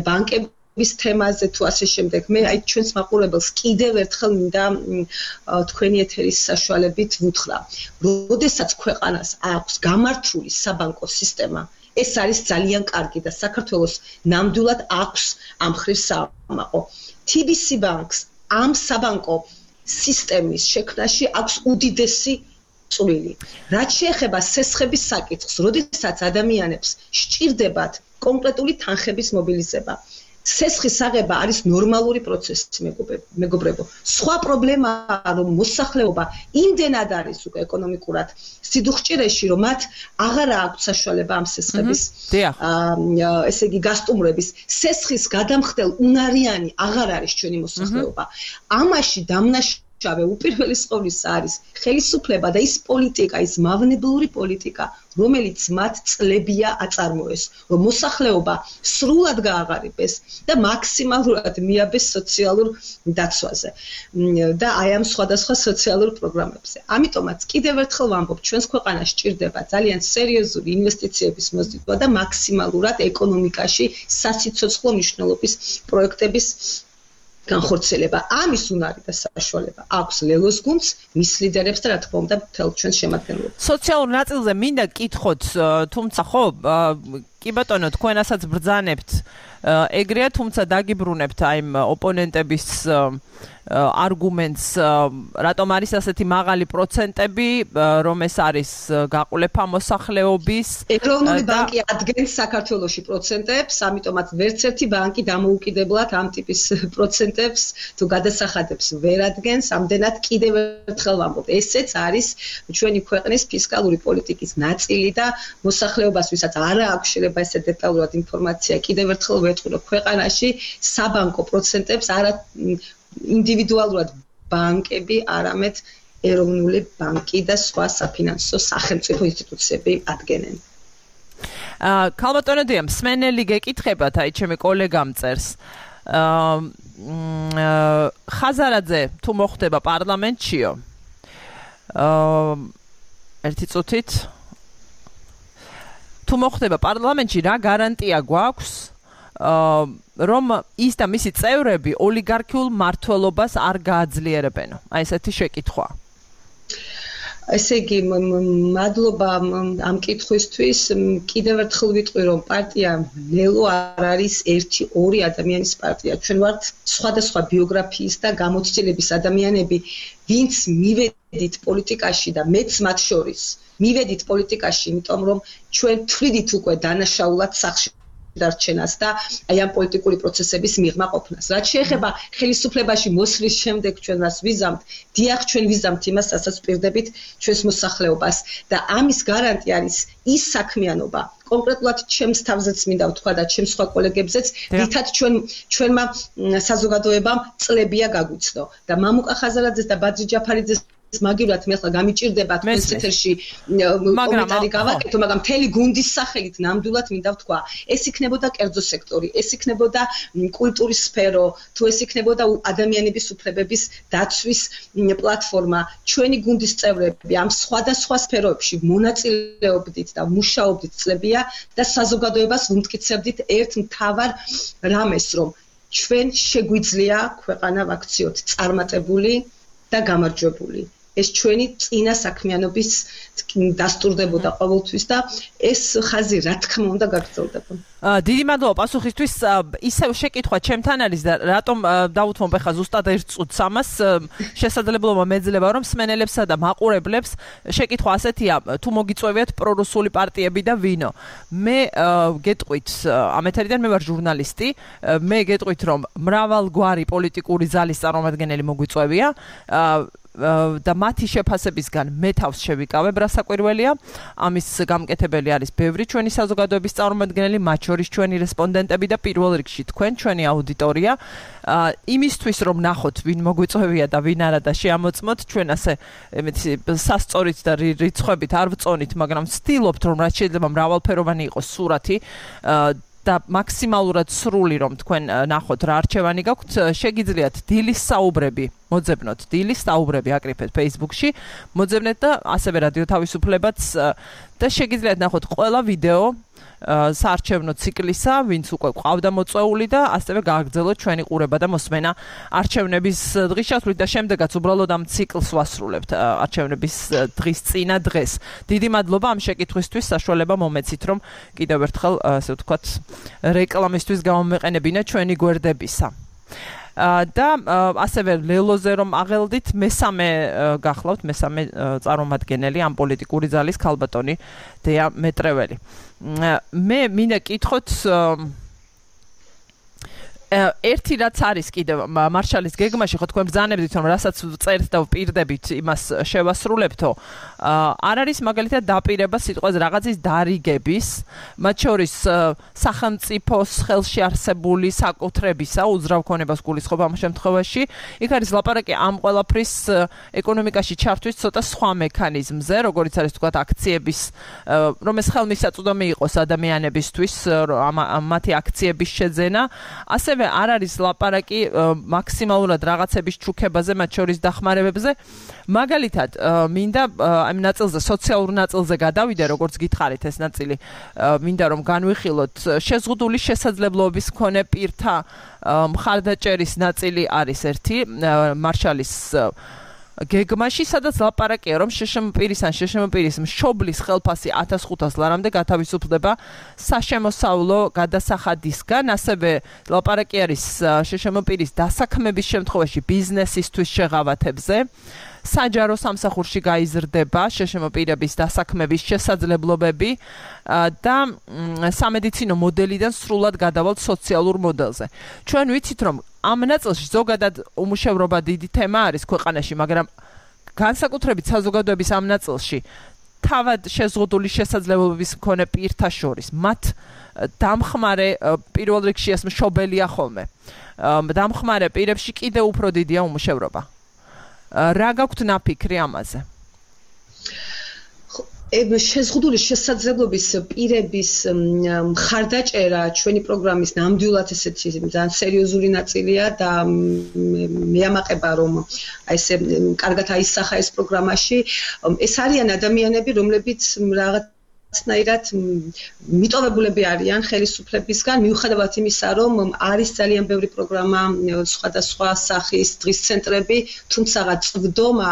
ბანკების თემაზე თუ ასე შემდეგ. მე აი ჩვენს მაყურებელს კიდევ ერთხელ მინდა თქვენი ეთერის საშუალებით ვუთხრა. როდესაც ქვეყანას აქვს გამართული საბანკო სისტემა, ეს არის ძალიან კარგი და საქართველოს ნამდვილად აქვს ამ მხრივ სამაყო. TBC ბანკს ამ საბანკო სისტემის შექმნაში აქვს უდიდესი წვლილი. რაც შეეხება სესხების საკითხს, როდესაც ადამიანებს სჭირდებათ კონკრეტული თანხების მობილიზება, სესხის აღება არის ნორმალური პროცესი, მეგობრებო. სხვა პრობლემაა, რომ მოსახლეობა იმდენად არის უკვე ეკონომიკურად სიდუხჭირეში, რომ მათ აღარ აქვს საშუალება ამ სესხების ესე იგი გასტუმრების. სესხის გადამხდელ უნარიანი აღარ არის ჩვენი მოსახლეობა. ამაში დამნაშავე უპირველეს ყოვლისა არის ხელისუფლება და ის პოლიტიკა, ის მავნებლური პოლიტიკა, რომელიც მათ წლებია აწარმოეს, რომ მოსახლეობა სრულად გააღარიბეს და მაქსიმალურად მიაბეს სოციალურ დაცვაზე და აი ამ სხვადასხვა სოციალურ პროგრამებზე. ამიტომაც კიდევ ერთხელ ვამბობ, ჩვენს ქვეყანას სჭირდება ძალიან სერიოზული ინვესტიციების მოზიდვა და მაქსიმალურად ეკონომიკაში სასიცოცხლო მნიშვნელობის პროექტების განხორციელება. ამის უნარი და საშუალება აქვს ლელოს გუნდს, მის ლიდერებს და რა თქმა უნდა მთელ ჩვენს შემადგენლობას. სოციალურ ნაწილზე მინდა კითხოთ, თუმცა ხო, კი ბატონო, თქვენასაც ბრძანებთ ეგრეა, თუმცა დაგიბრუნებთ აი ოპონენტების არგუმენტს, რატომ არის ასეთი მაღალი პროცენტები, რომ ეს არის გაყოლება მოსახლეობის. ეროვნული ბანკი ადგენს საქართველოში პროცენტებს, ამიტომაც ვერც ერთი ბანკი დამოუკიდებლად ამ ტიპის პროცენტებს თუ გადასახადებს ვერ ადგენს, ამდენად კიდევ ერთხელ ვამბობ, ესეც არის ჩვენი ქვეყნის ფისკალური პოლიტიკის ნაწილი და მოსახლეობას, ვისაც არ აქვს შეიძლება ესე დეტალურად ინფორმაცია, კიდევ ერთხელ ვეთქვი, რომ ქვეყანაში საბანკო პროცენტებს არა ინდივიდუალურად ბანკები, არამედ ეროვნული ბანკი და სხვა საფინანსო სახელმწიფო ინსტიტუციები ადგენენ. ქალბატონო დიამ, მსმენელი გეკითხებათ, აი ჩემი კოლეგამ წერს. ხაზარაძე თუ მოხდება პარლამენტშიო? ერთი წუთით. თუ მოხდება პარლამენტში, რა გარანტია გვაქვს? რომ ის და მისი წევრები ოლიგარქიულ მართლობას არ გააძლიერებენ. აი ესეთი შეკითხვა. ესე იგი, მადლობა ამ კითხვისთვის. კიდევ ერთხელ ვიტყვი, რომ პარტია ლელო არ არის 1-2 ადამიანის პარტია. ჩვენ ვართ სხვადასხვა ბიოგრაფიის და გამოცდილების ადამიანები, ვინც მივედით პოლიტიკაში და მეც მათ შორის მივედით პოლიტიკაში, იმიტომ რომ ჩვენ თვლიდით უკვე დანაშაულად სახში დარჩენას და აი ამ პოლიტიკური პროცესების მიღმა ყოფნას. რაც შეეხება ხელისუფლებაში მოსვლის შემდეგ ჩვენ მას ვიზამთ, დიახ, ჩვენ ვიზამთ იმას, რასაც პირდებით ჩვენს მოსახლეობას და ამის გარანტი არის ის საქმიანობა, კონკრეტულად ჩემს თავზეც მინდა ვთქვა და ჩემს სხვა კოლეგებზეც, რითაც ჩვენმა საზოგადოებამ წლებია გაგვიცნო და მამუკა ხაზარაძეს და ბადრი ჯაფარიძეს მაგივრად მე ახლა გამიჭირდება თქვენს ეთერში კომენტარი გავაკეთო, მაგრამ მთელი გუნდის სახელით ნამდვილად მინდა ვთქვა, ეს იქნებოდა კერძო სექტორი, ეს იქნებოდა კულტურის სფერო, თუ ეს იქნებოდა ადამიანების უფლებების დაცვის პლატფორმა, ჩვენი გუნდის წევრები ამ სხვადასხვა სფეროებში მონაწილეობდით და მუშაობდით წლებია და საზოგადოებას ვუმტკიცებდით ერთ მთავარ რამეს, რომ ჩვენ შეგვიძლია ქვეყანა ვაქციოთ წარმატებული და გამარჯვებული. ეს ჩვენი წინა საქმიანობის დასტურდებოდა ყოველთვის და ეს ხაზი რა თქმა უნდა გაგრძელდება. დიდი მადლობა პასუხისთვის. ისევ შეკითხვა ჩემთან არის და რატომ დავუთმობ ახლა ზუსტად 1 წუთს ამას შესაძლებლობა მეძლება რომ სმენელებსა და მაყურებლებს შეკითხვა ასეთია, თუ მოგიწევიათ პრორუსული პარტიები და ვინო. მე გეტყვით ამ ეთერიდან მე ვარ ჟურნალისტი, მე გეტყვით რომ მრავალგვარი პოლიტიკური ზალის წარმომადგენელი მოგვიწევია და მათი შეფასებისგან მე თავს შევიკავებ რა საკვირველია. ამის გამკეთებელი არის ბევრი ჩვენი საზოგადოების წარმომადგენელი, მათ შორის ჩვენი რესპონდენტები და პირველ რიგში თქვენ, ჩვენი აუდიტორია. იმისთვის რომ ნახოთ ვინ მოგვიწევია და ვინ არა და შეამოწმოთ, ჩვენ ასე სასწორით და რიცხვებით არ ვწონით, მაგრამ ვცდილობთ რომ რაც შეიძლება მრავალფეროვანი იყოს სურათი და მაქსიმალურად სრული რომ თქვენ ნახოთ რა არჩევანი გაქვთ, შეგიძლიათ დილის საუბრები მოძებნოთ, დილის საუბრები აკრიფეთ Facebook-ში, მოძებნეთ და ასევე რადიო თავისუფლებაც და შეგიძლიათ ნახოთ ყველა ვიდეო საარჩევნო ციკლისა, ვინც უკვე ყავდა მოწვეული და ასევე გააგრძელოთ ჩვენი ყურება და მოსმენა არჩევნების დღის ჩათვლით და შემდეგაც უბრალოდ ამ ციკლს ვასრულებთ არჩევნების დღის წინა დღეს. დიდი მადლობა ამ შეკითხვისთვის, საშუალება მომეცით რომ კიდევ ერთხელ ასე ვთქვათ რეკლამისთვის გამომეყენებინა ჩვენი გვერდებისა. და ასევე ლელოზე რომ აღელდით მესამე გახლავთ, მესამე წარმომადგენელი ამ პოლიტიკური ზალის ქალბატონი დეა მეტრეველი. მე მინდა კითხოთ ერთი რაც არის კიდევ მარშალის გეგმაში, ხო თქვენ ბრძანებდით რომ რასაც წერთ და ვპირდებით იმას შევასრულებთო. არ არის მაგალითად დაპირება სიტყვაზე რაღაცის დარიგების, მათ შორის სახელმწიფოს ხელში არსებული საკუთრებისა, უძრავ ქონებას გულისხმობ ამ შემთხვევაში. იქ არის ლაპარაკი ამ ყველაფრის ეკონომიკაში ჩართვის ცოტა სხვა მექანიზმზე, როგორც არის თქვათ აქციების, რომ ეს ხელმისაწვდომი იყოს ადამიანებისთვის, მათი აქციების შეძენა. ასევე არ არის ლაპარაკი მაქსიმალურად რაღაცების ჩუქებაზე, მათ შორის დახმარებებზე. მაგალითად, მინდა ამ ნაწილზე, სოციალურ ნაწილზე გადავიდე, როგორც გითხარით ეს ნაწილი, მინდა რომ განვიხილოთ შეზღუდული შესაძლებლობების მქონე პირთა მხარდაჭერის ნაწილი არის ერთი მარშალის გეგმაში, სადაც ლაპარაკია რომ შშმპ-ის ან შშმპ-ის მშობლის ხელფასი 1500 ლარამდე გათავისუფლდება საშემოსავლო გადასახადისგან. ასევე ლაპარაკი არის შშმპ-ის დასაქმების შემთხვევაში ბიზნესისთვის შეღავათებზე. საჯარო სამსახურში გაიზრდება შშმპ-ების დასაქმების შესაძლებლობები და სამედიცინო მოდელიდან სრულად გადავალთ სოციალურ მოდელზე. ჩვენ ვიცით რომ ამ ნაწილში ზოგადად უმუშევრობა დიდი თემა არის ქვეყანაში, მაგრამ განსაკუთრებით საზოგადოების ამ ნაწილში თავად შეზღუდული შესაძლებლობების მქონე პირთა შორის მათ დამხმარე პირველ რიგში ეს მშობელია ხოლმე. დამხმარე პირებში კიდევ უფრო დიდია უმუშევრობა. რა გაქვთ ნაფიქრი ამაზე? შეზღუდული შესაძლებლობის პირების მხარდაჭერა ჩვენი პროგრამის ნამდვილად ესეთი ძალიან სერიოზული ნაწილია და მე ამაყება რომ ესე კარგად აისახა ეს პროგრამაში. ეს არიან ადამიანები, რომლებიც რაღაცნაირად მიტოვებულები არიან ხელისუფლებისგან, მიუხედავად იმისა, რომ არის ძალიან ბევრი პროგრამა, სხვადასხვა სახის დღის ცენტრები, თუმცა წვდომა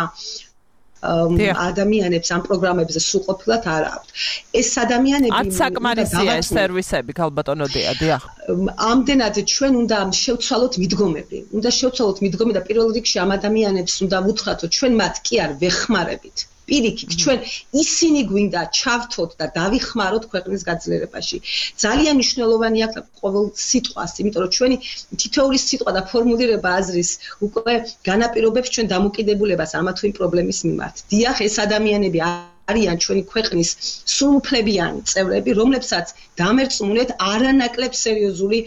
ადამიანებს ამ პროგრამებზე სრულყოფილად არ აქვთ. ეს ადამიანები აცაკმარისია ეს სერვისები, ქალბატონო დია, დიახ. ამდენად ჩვენ უნდა შევცვალოთ მიდგომები. უნდა შევცვალოთ მიდგომები და პირველ რიგში ამ ადამიანებს უნდა ვუთხრათ, რომ ჩვენ მათ კი არ ვეხმარებით. პირიქით, ჩვენ ისინი გვინდა ჩავთოთ და დავიხმაროთ ქვეყნის გაძლიერებაში. ძალიან მნიშვნელოვანია ყოველ სიტყვას, იმიტომ რომ ჩვენი თითოეული სიტყვა და ფორმულირება აზრის უკვე განაპირობებს ჩვენ დამოკიდებულებას ამა თუ იმ პრობლემის მიმართ. დიახ, ეს ადამიანები არიან ჩვენი ქვეყნის სრულუფლებიანი წევრები, რომლებსაც დამერწმუნეთ არანაკლებ სერიოზული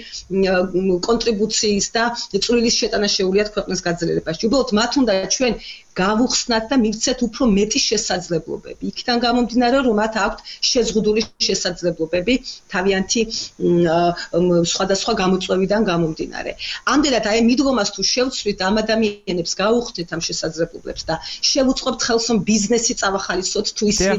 კონტრიბუციის და წვლილის შეტანა შეუძლიათ ქვეყნის გაძლიერებაში. უბრალოდ მათ უნდა ჩვენ გავუხსნათ და მივცეთ უფრო მეტი შესაძლებლობები. იქიდან გამომდინარე, რომ მათ აქვთ შეზღუდული შესაძლებლობები თავიანთი სხვადასხვა გამოწვევიდან გამომდინარე. ამდენად აი მიდგომას თუ შევცვლით ამ ადამიანებს გავუხსნით ამ შესაძლებლობებს და შევუწყობთ ხელს რომ ბიზნესი წავახალისოთ თუ ისინი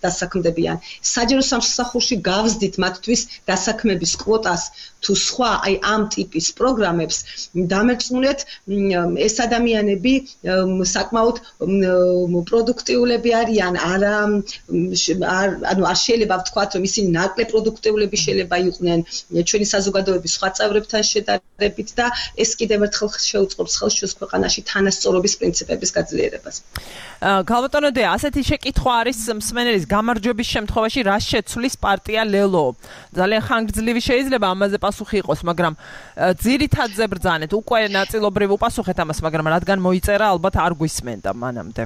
დასაქმდებიან. საჯარო სამსახურში გავზდით მათთვის დასაქმების კვოტას თუ სხვა აი ამ ტიპის პროგრამებს დამერწმუნეთ ეს ადამიანები საკმაოდ პროდუქტიულები არიან არ შეიძლება ვთქვათ რომ ისინი ნაკლებ პროდუქტიულები შეიძლება იყვნენ ჩვენი საზოგადოების სხვა წევრებთან შედარებით და ეს კიდევ ერთხელ შეუწყობს ხელს ჩვენს ქვეყანაში თანასწორობის პრინციპების გაძლიერებას. გალბატონო დე, ასეთი შეკითხვა არის მსმენელის გამარჯვების შემთხვევაში რა შეცვლის პარტია ლელო. ძალიან ხანგრძლივი შეიძლება ამაზე პასუხი იყოს, მაგრამ ძირითადზე ბრძანეთ, უკვე ნაწილობრივ უპასუხეთ ამას, მაგრამ რადგან მოიწერა, ალბათ არ გვისმენდა მანამდე.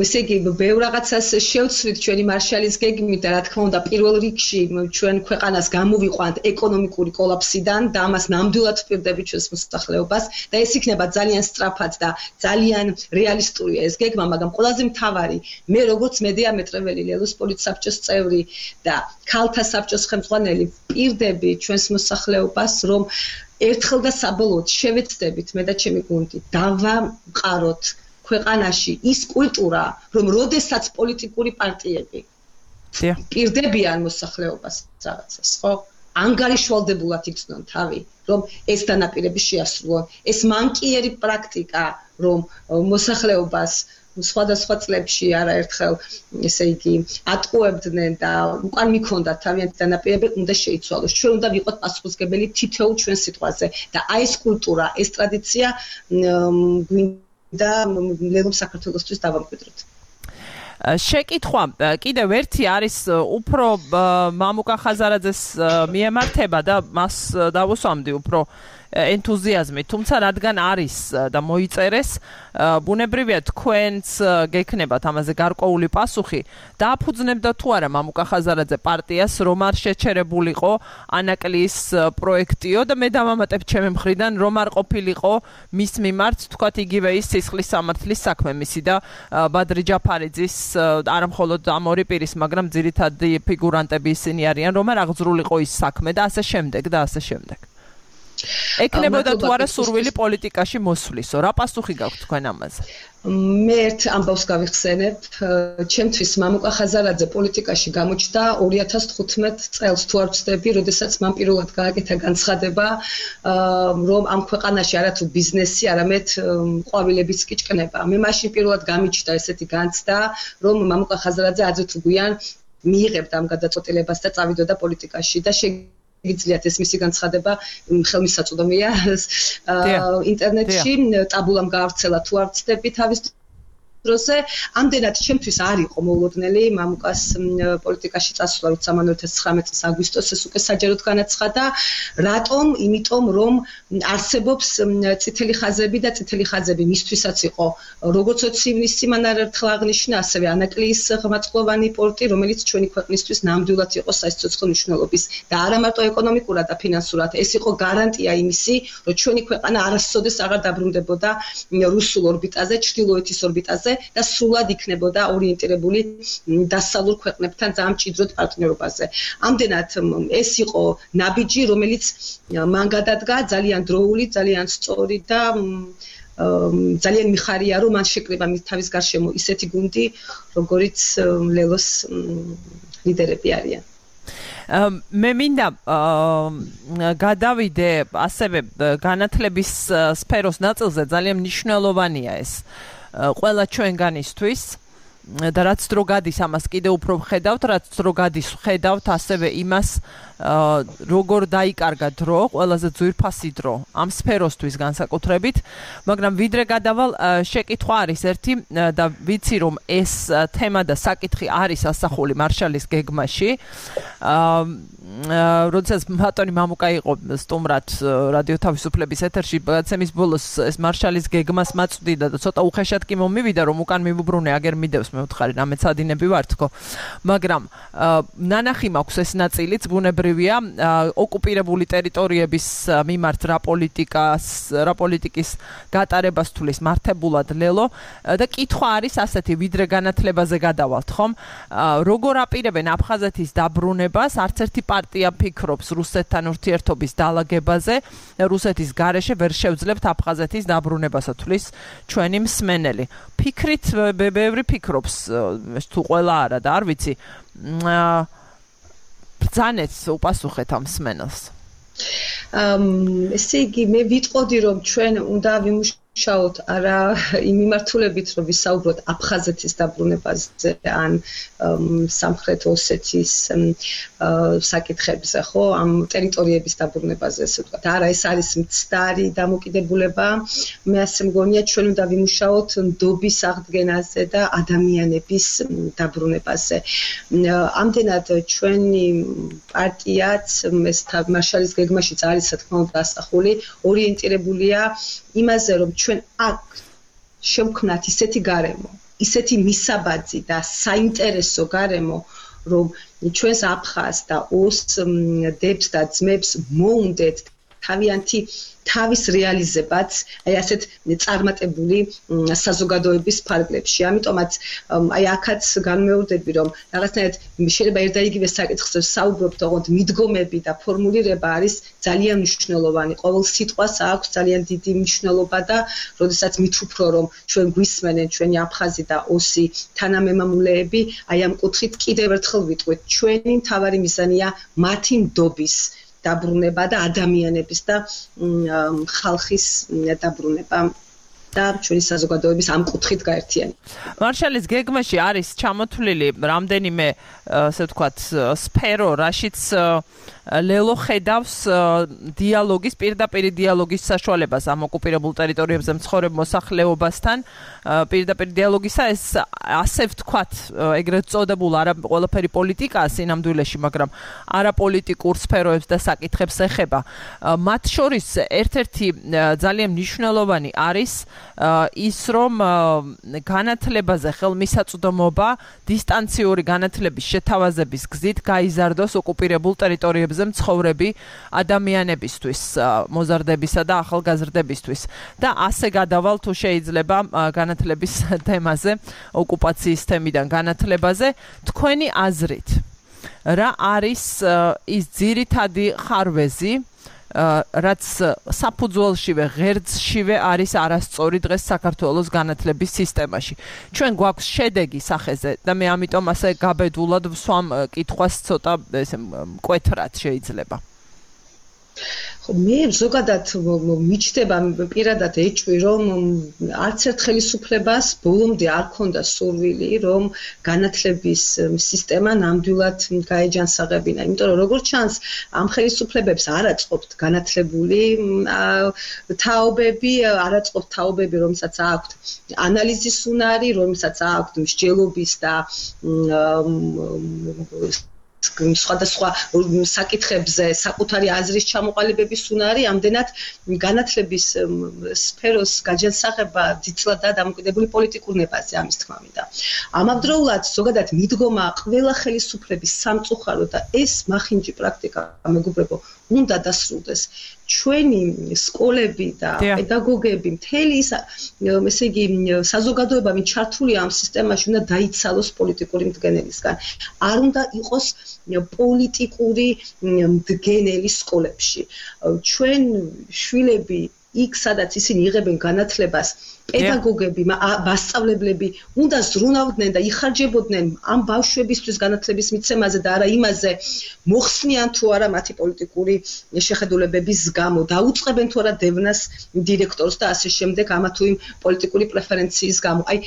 ესე იგი, ბევრ რაღაცას შევცვლით ჩვენი მარშალის გეგმით და რა თქმა უნდა, პირველ რიგში ჩვენ ქვეყანას გამოვიყვანთ ეკონომიკური კოლაფსიდან და ამას ნამდვილად ვპირდებით ჩვენს მოსახლეობას და ეს იქნება ძალიან სწრაფად და ძალიან რეალისტურია ეს გეგმა, მაგრამ ყველაზე მთავარი, მე როგორც მედია მეტრეველი ლელოს პოლიტსაბჭოს წევრი და ქალთა საბჭოს ხელმძღვანელი ვპირდები ჩვენს მოსახლეობას, რომ ერთხელ და საბოლოოდ შევეცდებით მე და ჩემი გუნდი დავამყაროთ ქვეყანაში ის კულტურა, რომ როდესაც პოლიტიკური პარტიები პირდებიან მოსახლეობას რაღაცას, ხო? ანგარიშვალდებულად იგრძნონ თავი, რომ ეს დანაპირები შეასრულონ. ეს მანკიერი პრაქტიკა, რომ მოსახლეობას სხვადასხვა წლებში არაერთხელ, ესე იგი, ატყუებდნენ და უკან მიქონდათ თავიანთი დანაპირები, უნდა შეიცვალოს. ჩვენ უნდა ვიყოთ პასუხისმგებელი თითოეულ ჩვენ სიტყვაზე და აი ეს კულტურა, ეს ტრადიცია გვინდა ლელოს საქართველოსთვის დავამკვიდროთ. შეკითხვა კიდევ ერთი არის უფრო მამუკა ხაზარაძეს მიემართება და მას დავუსვამდი უფრო ენთუზიაზმი, თუმცა რადგან არის და მოიწერეს, ბუნებრივია თქვენც გექნებათ ამაზე გარკვეული პასუხი. დააფუძნებდა თუ არა მამუკა ხაზარაძე პარტიას, რომ არ შეჩერებულიყო ანაკლის პროექტიო და მე დავამატებ ჩემი მხრიდან, რომ არ ყოფილიყო მის მიმართ, თქვათ იგივე ის სისხლის სამართლის საქმე მისი და ბადრი ჯაფარიძის არა მხოლოდ ამ ორი პირის, მაგრამ ძირითადი ფიგურანტები ისინი არიან, რომ არ აღძრულიყო ის საქმე და ასე შემდეგ და ასე შემდეგ. ეკნებოდა თუ არა სურვილი პოლიტიკაში მოსვლისო, რა პასუხი გაქვთ თქვენ ამაზე? მე ერთ ამბავს გავიხსენებ, ჩემთვის მამუკა ხაზარაძე პოლიტიკაში გამოჩნდა 2015 წელს თუ არ ვცდები, როდესაც მან პირველად გააკეთა განცხადება, რომ ამ ქვეყანაში არათუ ბიზნესი, არამედ ყვავილებიც კი ჭკნება. მე მაშინ პირველად გამიჩნდა ესეთი განცდა, რომ მამუკა ხაზარაძე ადრე თუ გვიან მიიღებდა ამ გადაწყვეტილებას და წავიდოდა პოლიტიკაში და იძლიათ ეს მისი განცხადება ხელმისაწვდომია ინტერნეტში ტაბულამ გაავრცელა თუ არ ვცდები თავის დროზე ამდენად ჩემთვის არ იყო მოულოდნელი მამუკას პოლიტიკაში წასვლა, როცა მან 2019 წლის აგვისტოს ეს უკვე საჯაროდ განაცხადა. რატომ? იმიტომ რომ არსებობს წითელი ხაზები და წითელი ხაზები მისთვისაც იყო როგორც ოცივნისი მან არაერთხელ აღნიშნა, ასევე ანაკლის ღრმაწყლოვანი პორტი, რომელიც ჩვენი ქვეყნისთვის ნამდვილად იყო საერთო მნიშვნელობის და არა მარტო ეკონომიკურად და ფინანსურად. ეს იყო გარანტია იმისი, რომ ჩვენი ქვეყანა არასოდეს აღარ დაბრუნდებოდა რუსულ ორბიტაზე, ჩრდილოეთის ორბიტაზე და სრულად იქნებოდა ორიენტირებული დასავლურ ქვეყნებთან ძალიან მჭიდროდ პარტნიორობაზე. ამდენად ეს იყო ნაბიჯი, რომელიც მან გადადგა ძალიან დროული, ძალიან სწორი და ძალიან მიხარია, რომ მან შეკრიბა თავის გარშემო ისეთი გუნდი, როგორიც ლელოს ლიდერები არიან. მე მინდა გადავიდე ასევე განათლების სფეროს ნაწილზე, ძალიან მნიშვნელოვანია ეს ყველა ჩვენგანისთვის და რაც დრო გადის ამას კიდე უფრო ვხედავთ, რაც დრო გადის ვხედავთ ასევე იმას როგორ დაიკარგა დრო, ყველაზე ძვირფასი დრო ამ სფეროსთვის განსაკუთრებით, მაგრამ ვიდრე გადავალ შეკითხვა არის ერთი და ვიცი რომ ეს თემა და საკითხი არის ასახული მარშალის გეგმაში. როდესაც ბატონი მამუკა იყო სტუმრად რადიო თავისუფლების ეთერში, გადაცემის ბოლოს ეს მარშალის გეგმას მაწვდიდა და ცოტა უხეშად კი მომივიდა, რომ უკან მივუბრუნე აგერ მიდევს მეუთხარი რამეცადინები ვარ თქო მაგრამ ნანახი მაქვს ეს ნაწილიც ბუნებრივია ოკუპირებული ტერიტორიების მიმართ რა პოლიტიკის გატარებას თulis მართებულად ლელო და კითხვა არის ასეთი ვიდრე განათლებაზე გადავალთ ხომ როგორ აპირებენ აფხაზეთის დაბრუნებას არც ერთი პარტია ფიქრობს რუსეთთან ურთიერთობის დალაგებაზე რუსეთის გარეშე ვერ შევძლებთ აფხაზეთის დაბრუნებასა თulis ჩვენი მსმენელი ფიქრით ბევრი ფიქრობს თუ ყველა არა და არ ვიცი ბრძანეთ უპასუხეთ ამ მსმენელს ესე იგი მე ვიტყოდი რომ ჩვენ უნდა ვიმუშაოთ არა იმ მიმართულებით რომ ვისაუბროთ აფხაზეთის დაბრუნებაზე ან სამხრეთ ოსეთის საკითხებზე ხო ამ ტერიტორიების დაბრუნებაზე ასე ვთქვათ არა ეს არის მცდარი დამოკიდებულება მე ასე მგონია ჩვენ უნდა ვიმუშაოთ ნდობის აღდგენაზე და ადამიანების დაბრუნებაზე ამდენად ჩვენი პარტიაც ეს მარშალის გეგმაშიც არის რა თქმა უნდა ასახული ორიენტირებულია იმაზე რომ ჩვენ აქ შევქმნათ ისეთი გარემო, ისეთი მისაბაძი და საინტერესო გარემო, რომ ჩვენს აფხაზ და ოს დებს და ძმებს მოუნდეთ თავიანთი თავის რეალიზებაც, აი ასეთ წარმატებული საზოგადოების ფარგლებში. ამიტომაც აი აქაც განმეორდები, რომ რაღაცნაირად შეიძლება ერთ და იგივე საკითხს საუბრობთ, თუმცა მიდგომები და ფორმულირება არის ძალიან მნიშვნელოვანი. ყოველ სიტყვას აქვს ძალიან დიდი მნიშვნელობა და როდესაც მით უფრო რომ ჩვენ გვისმენენ ჩვენი აფხაზი და ოსი თანამემამულეები, აი ამ კუთხით კიდევ ერთხელ ვიტყვით, ჩვენი მთავარი მიზანია მათი ნდობის დაბრუნება და ადამიანების და ხალხის დაბრუნება და ჩვენი საზოგადოების ამ კუთხით გაერთიანება. მარშალის გეგმაში არის ჩამოთვლილი რამდენიმე ასე ვთქვათ სფერო, რაშიც ლელო ხედავს დიალოგის, პირდაპირ დიალოგის საშუალებას ამ ოკუპირებულ ტერიტორიებზე მცხოვრებ მოსახლეობასთან, პირდაპირ დიალოგისა ეს ასე ვთქვათ, ეგრეთ წოდებულ არა ყველაფერი პოლიტიკაა სინამდვილეში, მაგრამ არაპოლიტიკურ სფეროებს და საკითხებს ეხება. მათ შორის ერთ-ერთი ძალიან მნიშვნელოვანი არის ის რომ განათლებაზე ხელმისაწვდომობა დისტანციური განათლების შეთავაზების გზით გაიზარდოს ოკუპირებულ ტერიტორიებზე მცხოვრები ადამიანებისთვის, მოზარდებისა და ახალგაზრდებისთვის და ასე გადავალ თუ შეიძლება განათლების თემაზე, ოკუპაციის თემიდან განათლებაზე, თქვენი აზრით რა არის ის ძირითადი ხარვეზი რაც საფუძველშივე ღერძშივე არის არასწორი დღეს საქართველოს განათლების სისტემაში. ჩვენ გვაქვს შედეგი სახეზე და მე ამიტომ ასე გაბედულად ვსვამ კითხვას ცოტა ესე მკვეთრად შეიძლება. ხო მე ზოგადად მიჩნდება პირადად ეჭვი რომ არც ერთ ხელისუფლებას ბოლომდე არ ქონდა სურვილი რომ განათლების სისტემა ნამდვილად გაეჯანსაღებინა. იმიტომ რომ როგორც ჩანს ამ ხელისუფლებებს არ აწყობთ განათლებული თაობები, არ აწყობთ თაობები, რომელსაც აქვთ ანალიზის უნარი, რომელსაც აქვთ მსჯელობის და სხვადასხვა საკითხებზე საკუთარი აზრის ჩამოყალიბების უნარი, ამდენად განათლების სფეროს გაჯანსაღება ძირითადად დამოკიდებული პოლიტიკურ ნებაზე, ამის თქმა მინდა. ამავდროულად ზოგადად მიდგომა ყველა ხელისუფლების სამწუხარო და ეს მახინჯი პრაქტიკა მეგობრებო უნდა დასრულდეს. ჩვენი სკოლები და პედაგოგები, მთელი ის ესე იგი საზოგადოება ვინ ჩართულია ამ სისტემაში უნდა დაიცალოს პოლიტიკური მდგენელისგან. არ უნდა იყოს პოლიტიკური მდგენელი სკოლებში. ჩვენ შვილები იქ სადაც ისინი იღებენ განათლებას, პედაგოგები, მასწავლებლები უნდა ზრუნავდნენ და იხარჯებოდნენ ამ ბავშვებისთვის განათლების მიცემაზე და არა იმაზე მოხსნიან თუ არა მათი პოლიტიკური შეხედულებების გამო, დაუწყებენ თუ არა დევნას დირექტორს და ასე შემდეგ ამა თუ იმ პოლიტიკური პრეფერენციის გამო. აი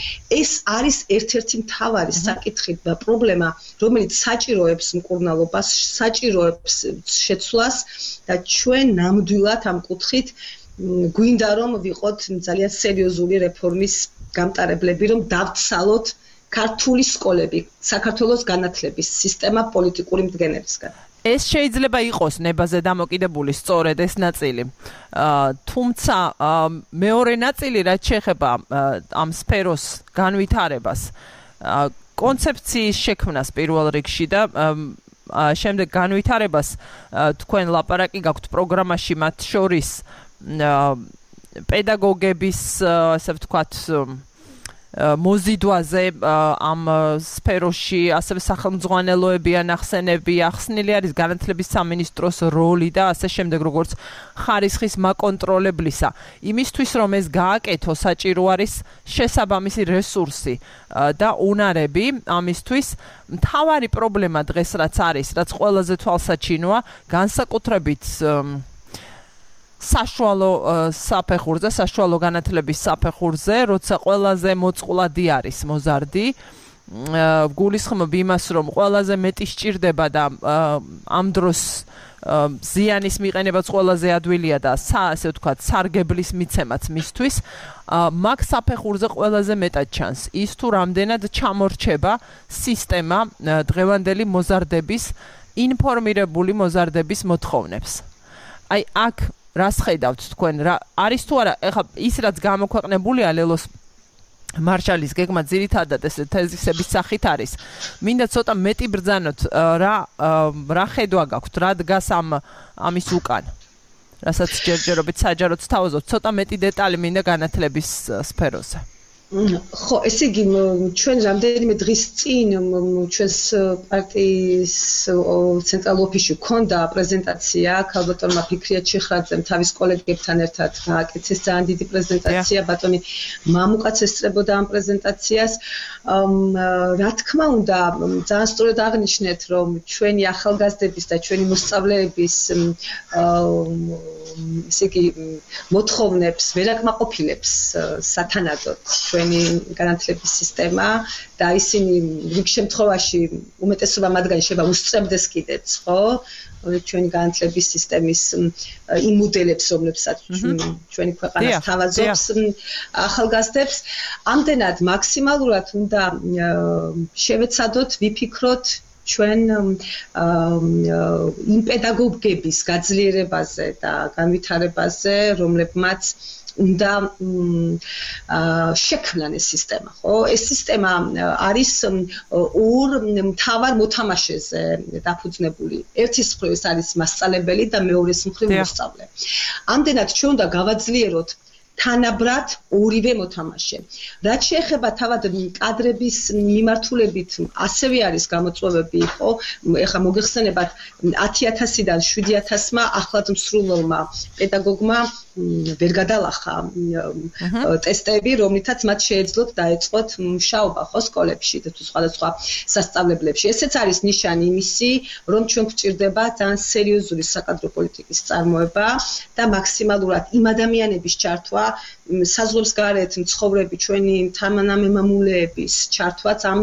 ეს არის ერთ-ერთი მთავარი საკითხი და პრობლემა, რომელიც საჭიროებს მკურნალობას, საჭიროებს შეცვლას და ჩვენ ნამდვილად ამ კუთხით გვინდა რომ ვიყოთ ძალიან სერიოზული რეფორმის გამტარებლები, რომ დავცალოთ ქართული სკოლები, საქართველოს განათლების სისტემა პოლიტიკური მდგენელისგან. ეს შეიძლება იყოს ნებაზე დამოკიდებული სწორედ ეს ნაწილი. თუმცა მეორე ნაწილი რაც შეეხება ამ სფეროს განვითარებას, კონცეფციის შექმნას პირველ რიგში და შემდეგ განვითარებას თქვენ ლაპარაკი გაქვთ პროგრამაში მათ შორის პედაგოგების ასე ვთქვათ მოზიდვაზე ამ სფეროში ასევე სახელმძღვანელოები ანახსენები ახსნილი არის განათლების სამინისტროს როლი და ასე შემდეგ როგორც ხარისხის მაკონტროლებლისა იმისთვის რომ ეს გააკეთო საჭირო არის შესაბამისი რესურსი და უნარები ამისთვის მთავარი პრობლემა დღეს რაც არის რაც ყველაზე თვალსაჩინოა განსაკუთრებით საშუალო საფეხურზე, საშუალო განათლების საფეხურზე, როცა ყველაზე მოწყვლადი არის მოზარდი, გულისხმობ იმას, რომ ყველაზე მეტი სჭირდება და ამ დროს ზიანის მიყენებაც ყველაზე ადვილია და ასე ვთქვათ, სარგებლის მიცემაც მისთვის, მაგ საფეხურზე ყველაზე მეტად ჩანს ის თუ რამდენად ჩამორჩება სისტემა დღევანდელი მოზარდების, ინფორმირებული მოზარდების მოთხოვნებს. აი აქ რას ხედავთ თქვენ რა არის თუ არა ეხლა ის რაც გამოქვეყნებულია ლელოს მარშალის გეგმა ძირითადად ეს თეზისების სახით არის მინდა ცოტა მეტი ბრძანოთ რა ხედვა გაქვთ რა დგას ამის უკან რასაც ჯერჯერობით საჯაროდ თავაზობთ ცოტა მეტი დეტალი მინდა განათლების სფეროზე ხო, ესე იგი, ჩვენ რამდენიმე დღის წინ ჩვენს პარტიის ცენტრალურ ოფისში ჰქონდა პრეზენტაცია, ქალბატონმა ფიქრია ჩიხრაძემ თავის კოლეგებთან ერთად გააკეთეს ძალიან დიდი პრეზენტაცია, ბატონი მამუკაც ესწრებოდა ამ პრეზენტაციას. რა თქმა უნდა, ძალიან სწორად აღნიშნეთ, რომ ჩვენი ახალგაზრდების და ჩვენი მოსწავლეების ესე იგი, მოთხოვნებს ვერ აკმაყოფილებს სათანადოდ ჩვენი განათლების სისტემა და ისინი რიგ შემთხვევაში უმეტესობა მათგანი შეიძლება უსწრებდეს კიდეც, ხო? ჩვენი განათლების სისტემის იმ მოდელებს, რომლებსაც ჩვენი ქვეყანა თავაზობს ახალგაზრდებს, ამდენად მაქსიმალურად უნდა შევეცადოთ, ვიფიქროთ ჩვენ იმ პედაგოგების გაძლიერებაზე და განვითარებაზე, რომლებმაც უნდა შექმნან ეს სისტემა, ხო? ეს სისტემა არის ორ მთავარ მოთამაშეზე დაფუძნებული. ერთის მხრივ ეს არის მასწავლებელი და მეორეს მხრივ მოსწავლე. ამდენად ჩვენ უნდა გავაძლიეროთ თანაბრად ორივე მოთამაშე. რაც შეეხება თავად კადრების მიმართულებით, ასევე არის გამოწვევები, ხო? ეხლა მოგეხსენებათ 10,000-დან 7,000-მა ახლად მსრულელმა პედაგოგმა ვერ გადალახა ტესტები, რომლითაც მათ შეეძლოთ დაეწყოთ მუშაობა, ხო, სკოლებში და თუ სხვადასხვა სასწავლებლებში. ესეც არის ნიშანი იმისი, რომ ჩვენ გვჭირდება ძალიან სერიოზული საკადრო პოლიტიკის წარმოება და მაქსიმალურად იმ ადამიანების ჩართვა საზღვრებს გარეთ მცხოვრები ჩვენი თანამემამულეების ჩართვაც ამ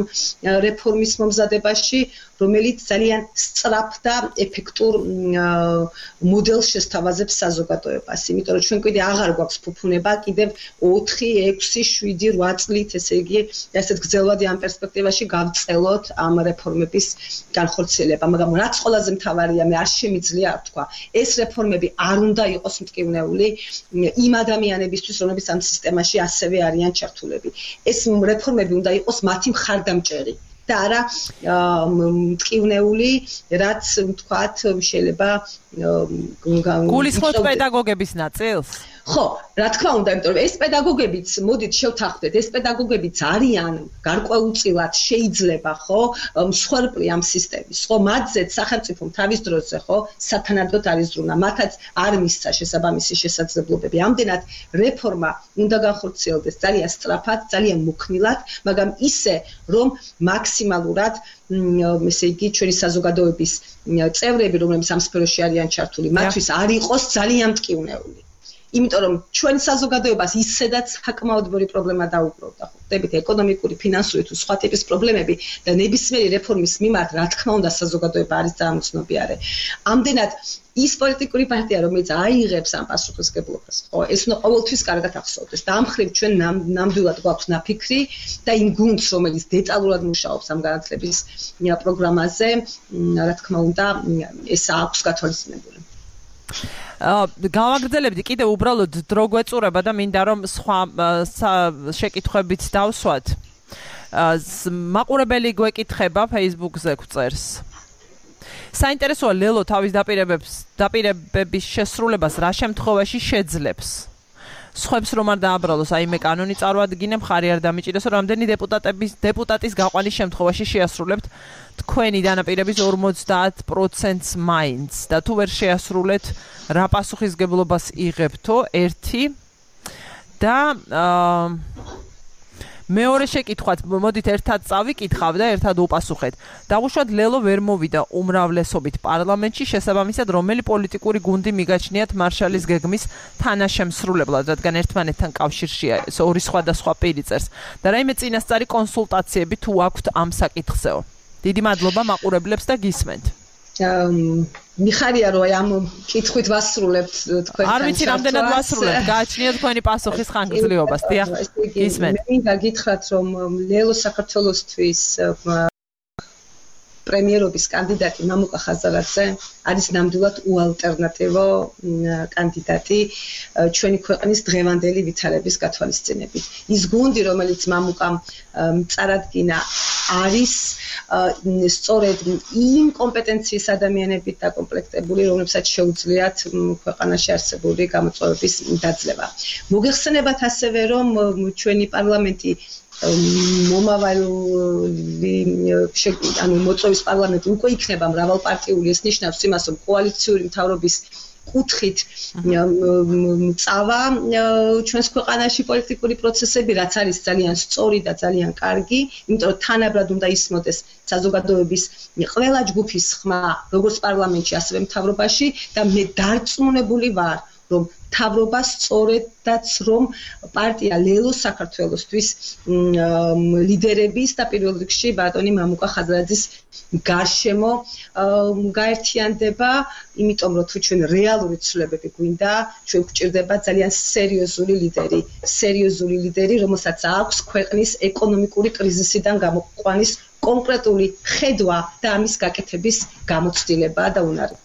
რეფორმის მომზადებაში, რომელიც ძალიან სწრაფ და ეფექტურ მოდელს შესთავაზებს საზოგადოებას. იმიტომ რომ ჩვენ კიდე აღარ გვაქვს ფუფუნება, კიდევ 4, 6, 7, 8 წლით, ესე იგი, ასეთ გრძელვადი ამ პერსპექტივაში გავწელოთ ამ რეფორმების განხორციელება. მაგრამ რაც ყველაზე მთავარია, მე არ შემიძლია თქვა, ეს რეფორმები არ უნდა იყოს მტკივნეული იმ ადამიანებისთვის, რომლებიც ამ სისტემაში ასევე არიან ჩართულები. ეს რეფორმები უნდა იყოს მათი მხარდამჭერი. და არა მტკივნეული, რაც ვთქვათ, შეიძლება გულისხმობთ პედაგოგების ნაწილს? ხო, რა თქმა უნდა, იმიტომ რომ ეს პედაგოგებიც, მოდით შევთანხმდეთ, ეს პედაგოგებიც არიან გარკვეულწილად შეიძლება, ხო, მსხვერპლი ამ სისტემის, ხო, მათზეც სახელმწიფომ თავის დროზე, ხო, სათანადოდ არის ზრუნა, მათაც არ მისცა შესაბამისი შესაძლებლობები. ამდენად რეფორმა უნდა განხორციელდეს ძალიან სწრაფად, ძალიან მოქნილად, მაგრამ ისე, რომ მაქსიმალურად ესე იგი ჩვენი საზოგადოების წევრები, რომლებიც ამ სფეროში არიან ჩართული, მათთვის არ იყოს ძალიან მტკივნეული. იმიტომ რომ ჩვენ საზოგადოებას ისედაც საკმაოდ ბევრი პრობლემა დაუბრუნდა. ხვდებით, ეკონომიკური, ფინანსური თუ სხვა ტიპის პრობლემები და ნებისმიერი რეფორმის მიმართ, რა თქმა უნდა, საზოგადოება არის ძალიან უცნობიარე. ამდენად ის პოლიტიკური პარტია, რომელიც აიღებს ამ პასუხისმგებლობას, ხო, ეს უნდა ყოველთვის კარგად ახსოვდეს. და ამ მხრივ ჩვენ ნამდვილად გვაქვს ნაფიქრი და იმ გუნდს, რომელიც დეტალურად მუშაობს ამ განათლების პროგრამაზე, რა თქმა უნდა, ეს აქვს გათვალისწინებული. გავაგრძელებდი კიდე უბრალოდ დრო გვეწურება და მინდა რომ სხვა შეკითხვებით დავსვათ. მაყურებელი გვეკითხება Facebook-ზე გვწერს. საინტერესოა ლელო თავის დაპირებების შესრულებას რა შემთხვევაში შეძლებს. სხვებს რომ არ დააბრალოს, აი მე კანონი წარვადგინებ, ხარი არ დამიჭირესო, რამდენი დეპუტატის გაყვანის შემთხვევაში შეასრულებთ თქვენი დანაპირების 50%-ს მაინც და თუ ვერ შეასრულეთ, რა პასუხისგებლობას იღებთო? 1 და მეორე შეკითხვაც, მოდით ერთად წავიკითხავ და ერთად უპასუხეთ. დავუშვათ ლელო ვერ მოვიდა უმრავლესობით პარლამენტში, შესაბამისად რომელი პოლიტიკური გუნდი მიგაჩნიათ მარშალის გეგმის თანაშემსრულებლად, რადგან ერთმანეთთან კავშირშია ორი სხვადასხვა პირი წერს. და რაიმე წინასწარი კონსულტაციები თუ აქვთ ამ საკითხზეო. დიდი მადლობა მაყურებლებს და გისმენთ. მიხარია რომ ამ კითხვით ვასრულებთ თქვენ. არ ვიცი რამდენად ვასრულებთ, გააჩნიათ თქვენი პასუხის ხანგრძლივობას. დიახ, გისმენთ. მე გაგითხრათ რომ ლელო საქართველოსთვის პრემიერობის კანდიდატი მამუკა ხაზარაძე არის ნამდვილად უალტერნატივო კანდიდატი ჩვენი ქვეყნის დღევანდელი ვითარების გათვალისწინებით. ის გუნდი, რომელიც მამუკამ წარადგინა, არის სწორედ იმ კომპეტენციის ადამიანებით დაკომპლექტებული, რომლებსაც შეუძლიათ ქვეყანაში არსებული გამოწვევების დაძლევა. მოგეხსენებათ ასევე, რომ ჩვენი პარლამენტი მოწვევის პარლამენტი უკვე იქნება მრავალპარტიული, ეს ნიშნავს იმას, რომ კოალიციური მთავრობის კუთხით წავა ჩვენს ქვეყანაში პოლიტიკური პროცესები, რაც არის ძალიან სწორი და ძალიან კარგი, იმიტომ რომ თანაბრად უნდა ისმოდეს საზოგადოების ყველა ჯგუფის ხმა, როგორც პარლამენტში, ასევე მთავრობაში და მე დარწმუნებული ვარ, რომ მთავრობა სწორედაც რომ პარტია ლელო საქართველოსთვის ლიდერების და პირველ რიგში ბატონი მამუკა ხაზარაძის გარშემო გაერთიანდება, იმიტომ რომ თუ ჩვენ რეალური ცვლილებები გვინდა, ჩვენ გვჭირდება ძალიან სერიოზული ლიდერი, რომელსაც აქვს ქვეყნის ეკონომიკური კრიზისიდან გამოყვანის კონკრეტული ხედვა და ამის გაკეთების გამოცდილება და უნარი.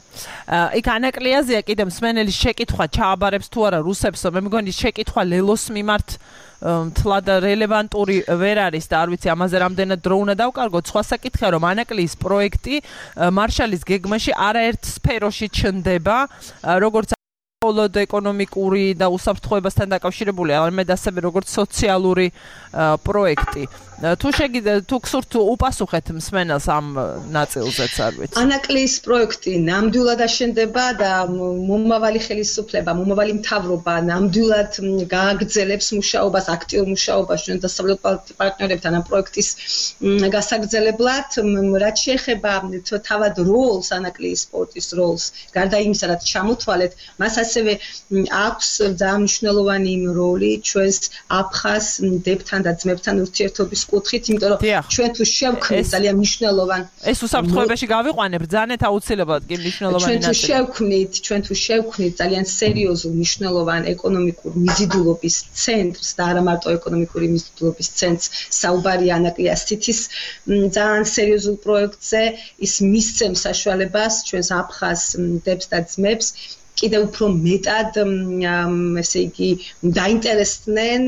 იქ ანაკლიაზეა კიდე მსმენელის შეკითხვა ჩააბარებს თუ არა რუსებს, მე მგონი შეკითხვა ლელოს მიმართ თლად რელევანტური ვერ არის და არ ვიცი ამაზე რამდენად დრო უნდა დავკარგოთ. სხვა საკითხია რომ ანაკლიის პროექტი მარშალის გეგმაში არაერთ სფეროში ჩნდება, როგორც მხოლოდ ეკონომიკური და უსაფრთხოებასთან დაკავშირებული, არამედ ასევე როგორც სოციალური პროექტი. თუ გსურთ უპასუხეთ მსმენელს ამ ნაწილზეც, არ ვიცი. ანაკლიის პროექტი ნამდვილად აშენდება და მომავალი ხელისუფლება, მომავალი მთავრობა ნამდვილად გააგრძელებს მუშაობას, აქტიურ მუშაობას ჩვენ დასავლეთ პარტნიორებთან ამ პროექტის გასაგრძელებლად. რაც შეეხება თავად როლს, ანაკლიის სპორტის როლს, გარდა იმისა, რაც ჩამოთვალეთ, მას ასევე აქვს ძალიან მნიშვნელოვანი როლი ჩვენს აფხაზ დებთან და ძმებთან ურთიერთობის კუთხით, იმიტომ რომ ჩვენ თუ შევქმნით ძალიან მნიშვნელოვანი ეს უსაფრთხოებაში გავიყვანებ ბრძანეთ აუცილებლად კი მნიშვნელოვანი ნაწილი. ჩვენ თუ შევქმნით ძალიან სერიოზულ მნიშვნელოვან ეკონომიკურ მიზიდულობის ცენტრს და არა მარტო ეკონომიკური მიზიდულობის ცენტრს, საუბარია ანაკლიას თითის ძალიან სერიოზულ პროექტზე, ის მისცემს საშუალებას ჩვენს აფხაზ დებს და ძმებს კიდევ უფრო მეტად ესე იგი დაინტერესდნენ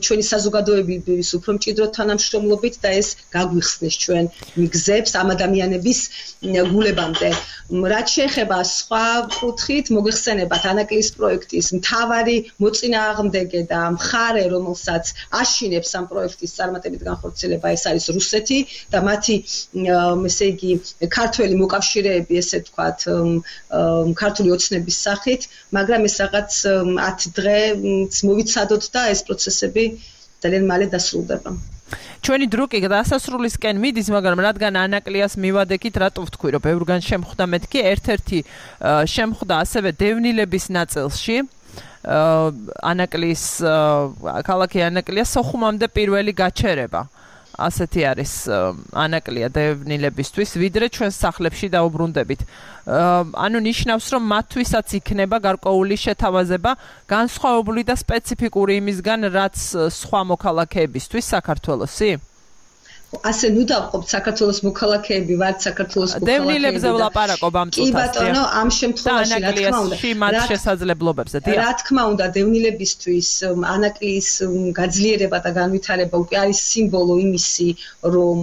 ჩვენი საზოგადოების უფრო მჭიდრო თანამშრომლობით და ეს გაგვიხსნეს ჩვენ მიგზებს ამ ადამიანების გულებამდე. რაც შეეხება სხვა კუთხით, მოგეხსენებათ ანაკლიის პროექტის მთავარი მოწინააღმდეგე და მხარე, რომელსაც აშინებს ამ პროექტის წარმატებით განხორციელება, ეს არის რუსეთი და მათი ესე იგი ქართველი მოკავშირეები, ესე ვთქვათ, ქართული ოცნების სახით, მაგრამ ეს რაღაც 10 დღეც მოვიცადოთ და ეს პროცესები ძალიან მალე დასრულდება. ჩვენი დრო კი დასასრულისკენ მიდის, მაგრამ რადგან ანაკლიას მივადექით, რატო ვთქვი, რომ ბევრგან შემხვდა მეთქი, ერთ-ერთი შემხვდა ასევე დევნილების ნაწილში. ანაკლიის ქალაქი ანაკლია სოხუმამდე პირველი გაჩერება. ასეთი არის ანაკლია დევნილებისთვის, ვიდრე ჩვენ სახლებში დაუბრუნდებით. ანუ ნიშნავს, რომ მათთვისაც იქნება გარკვეული შეთავაზება, განსხვავებული და სპეციფიკური იმისგან, რაც სხვა მოქალაქეებისთვის საქართველოსი. ასე ნუ დავყოფთ საქართველოს მოქალაქეები ვართ საქართველოს მოქალაქეები. დევნილებზე ვლაპარაკობ ამ წუთას. კი ბატონო, ამ შემთხვევაში რა თქმა უნდა, მათ შესაძლებლობებზე. რა თქმა უნდა, დევნილებისთვის ანაკლიის გაძლიერება და განვითარება უკვე არის სიმბოლო იმისი, რომ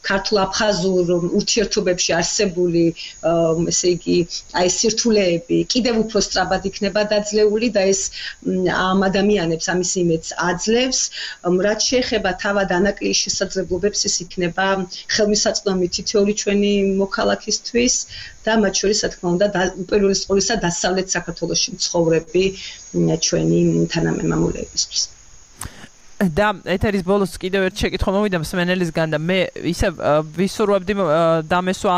ქართულ-აფხაზურ ურთიერთობებში არსებული, ესე იგი, აი სირთულეები კიდევ უფრო სწრაფად იქნება დაძლეული და ეს ამ ადამიანებს ამის იმედს აძლევს, რაც შეეხება თავად ანაკლიის შესაძლებლობებს, ეს იქნება ხელმისაწვდომი თითოეული ჩვენი მოქალაქისთვის და მათ შორის, რა თქმა უნდა, უპირველეს ყოვლისა დასავლეთ საქართველოში მცხოვრები ჩვენი თანამემამულეებისთვის. და ეთერის ბოლოს კიდევ ერთ შეკითხვა მოვიდა მსმენელისგან და მე ისე ვისურვებდი დამესვა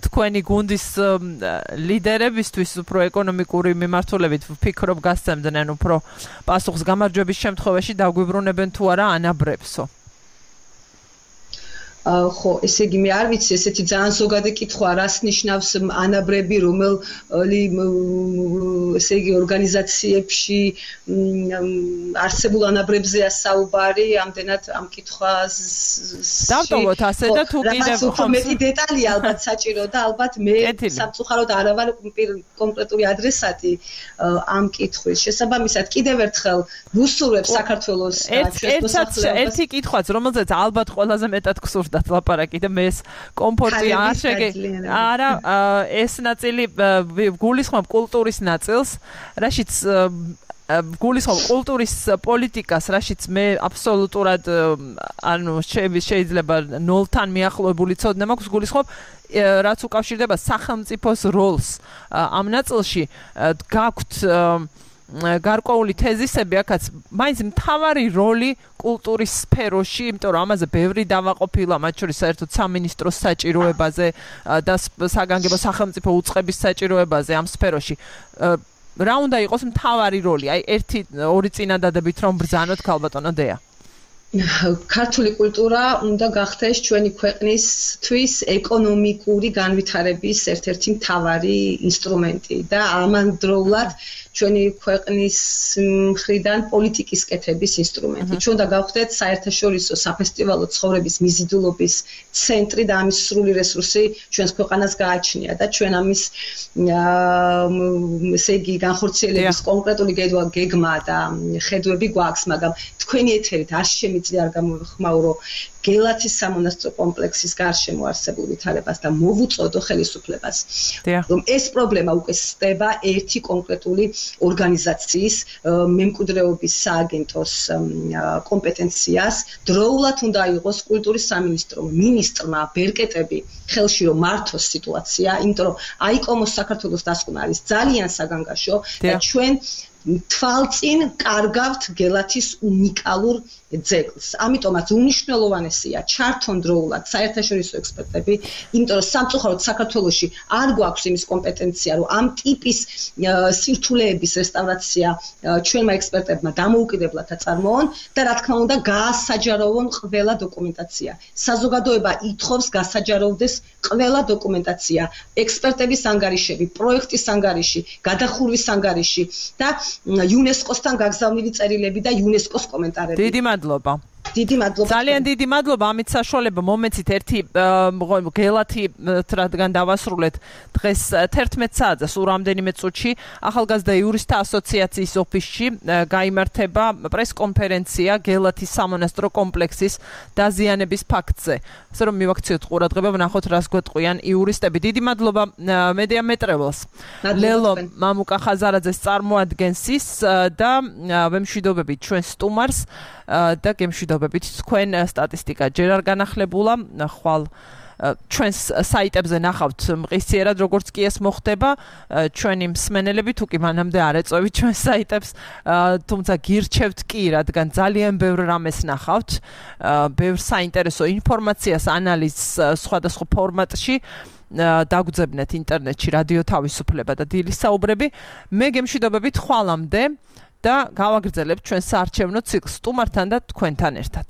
თქვენი გუნდის ლიდერებისთვის უფრო ეკონომიკური მიმართულებით ვფიქრობ გასცემდნენ უფრო პასუხს გამარჯვების შემთხვევაში დაგვიბრუნებენ თუ არა ანაბრებსო. ხო, ესე იგი მე არ ვიცი, ესეთი ძალიან ზოგადი კითხვა, რას ნიშნავს ანაბრები, რომელი ესე იგი ორგანიზაციებში არსებულ ანაბრებზეა საუბარი, ამდენად ამ კითხვას დავტოვოთ ასე და თუ კიდევ უფრო მეტი დეტალია ალბათ საჭირო და ალბათ მე სამწუხაროდ არ ვარ კონკრეტული ადრესატი ამ კითხვის. შესაბამისად, კიდევ ერთხელ ვუსურვებ საქართველოს ჩვენს მოსახლეობას. ერთი კითხვაც, რომელზეც ალბათ ყველაზე მეტად გსურდა ლაპარაკი და მე ეს კომფორტი არ შეგე არა ეს ნაწილი გულისხმობ კულტურის ნაწილს, რაშიც გულისხმობ კულტურის პოლიტიკას, რაშიც მე აბსოლუტურად ანუ შეიძლება 0-თან მიახლოებული ცოდნა მაქვს, გულისხმობ რაც უკავშირდება სახელმწიფოს როლს ამ ნაწილში გაქვთ გარკვეული თეზისები, აქაც მაინც მთავარი როლი კულტურის სფეროში, იმიტომ რომ ამაზე ბევრი დავაყოფილა, მათ შორის საერთოდ სამინისტროს საჭიროებაზე და საგანგებო სახელმწიფო უწყების საჭიროებაზე ამ სფეროში. რა უნდა იყოს მთავარი როლი? აი ერთი ორი წინადადებით რომ ბრძანოთ ქალბატონო დეა. ქართული კულტურა უნდა გახდეს ჩვენი ქვეყნისთვის ეკონომიკური განვითარების ერთ-ერთი მთავარი ინსტრუმენტი და ამავდროულად ჩვენი ქვეყნის მხრიდან პოლიტიკის კეთების ინსტრუმენტი. ჩვენ უნდა გავხდეთ საერთაშორისო საფესტივალო ცხოვრების მიზიდულობის ცენტრი და ამის სრული რესურსი ჩვენს ქვეყანას გააჩნია და ჩვენ ამის ესე იგი განხორციელების კონკრეტული გეგმა და ხედვები გვაქვს, მაგრამ თქვენი ეთერით არ შემიძლია არ გამოვხმაურო გელათის სამონასტრო კომპლექსის გარშემო არსებულ ვითარებას და მოვუწოდო ხელისუფლებას. რომ ეს პრობლემა უკვე სდება ერთი კონკრეტული ორგანიზაციის მემკვიდრეობის სააგენტოს კომპეტენციას. დროულად უნდა იყოს კულტურის სამინისტრომ მინისტრმა ბერკეტები ხელში რომ მართოს სიტუაცია, იმიტომ რომ აიკომოს საქართველოს დასკვნა არის ძალიან საგანგაშო და ჩვენ თვალწინ კარგავთ გელათის უნიკალურ ძეგლს. ამიტომაც უნიშნელოვანესია ჩართონ დროულად საერთაშორისო ექსპერტები, იმიტომ რომ სამწუხაროდ საქართველოში არ გვაქვს იმის კომპეტენცია, რომ ამ ტიპის სირთულეების რესტავრაცია ჩვენმა ექსპერტებმა დამოუკიდებლად აწარმოონ და რა თქმა უნდა გაასაჯაროვონ ყველა დოკუმენტაცია. საზოგადოება ითხოვს გასაჯაროვდეს ყველა დოკუმენტაცია, ექსპერტების ანგარიშები, პროექტის ანგარიში, გადახურვის ანგარიში და იუნესკოსთან გაგზავნილი წერილები და იუნესკოს კომენტარები. დიდი მადლობა. დიდი მადლობა. ძალიან დიდი მადლობა. ამით საშუალება მომეცით ერთი გელათი რადგან დავასრულეთ დღეს 11 საათზე სულ რამდენიმე წუთში ახალგაზრდა იურისტთა ასოციაციის ოფისში გაიმართება პრესკონფერენცია გელათის სამონასტრო კომპლექსის დაზიანების ფაქტზე. ასე რომ მივაქციოთ ყურადღება, ვნახოთ რას გვეტყვიან იურისტები. დიდი მადლობა მედია მეტრეველს. ლელო მამუკა ხაზარაძეს წარმოადგენს ის და ვემშვიდობებით ჩვენ სტუმარს და გემშვიდობებით თქვენ სტატისტიკა ჯერ არ განახლებულა, ხვალ ჩვენს საიტებზე ნახავთ მყისიერად როგორც კი ეს მოხდება, ჩვენი მსმენელები თუ კი მანამდე არ ეწევით ჩვენს საიტებს, თუმცა გირჩევთ კი, რადგან ძალიან ბევრ რამეს ნახავთ, ბევრ საინტერესო ინფორმაციას, ანალიზს სხვადასხვა ფორმატში დაგვძებნეთ ინტერნეტში რადიო თავისუფლება და დილის საუბრები. მე გემშვიდობებით ხვალამდე და გავაგრძელებთ ჩვენ საარჩევნო ციკლს სტუმართან და თქვენთან ერთად.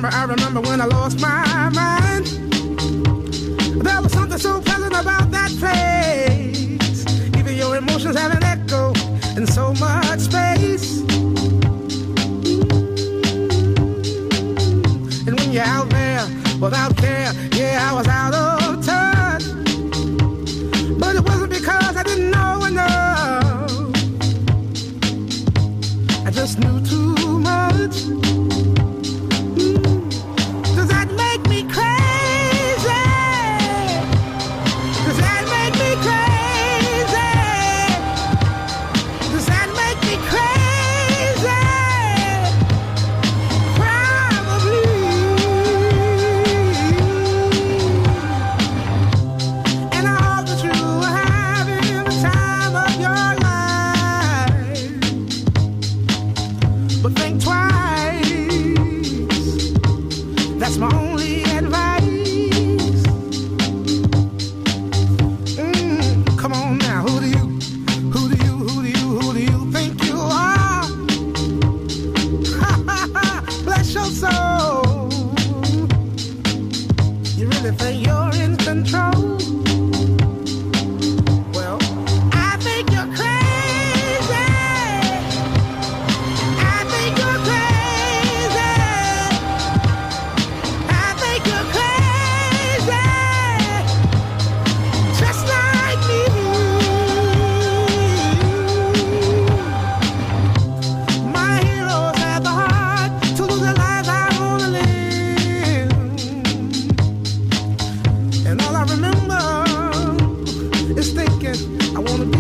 I remember when I lost my mind. There was something so pleasant about that place. Even your emotions have an echo in so much space. And when you're out there without care, yeah, I was out of touch. But it wasn't because I didn't know enough. I just knew too much. Does that make me crazy? Does that make me crazy? Does that make me crazy? Probably. And I hope that you are having the time of your life. But think twice. That's my only advice. Come on now, who do you think you are? Bless your soul. You really think you're in control? Well, I think you're crazy. I think you're crazy. I think you're crazy. Just like me. My heroes had the heart to lose their lives. I wanna live. And all I remember is thinking I wanna be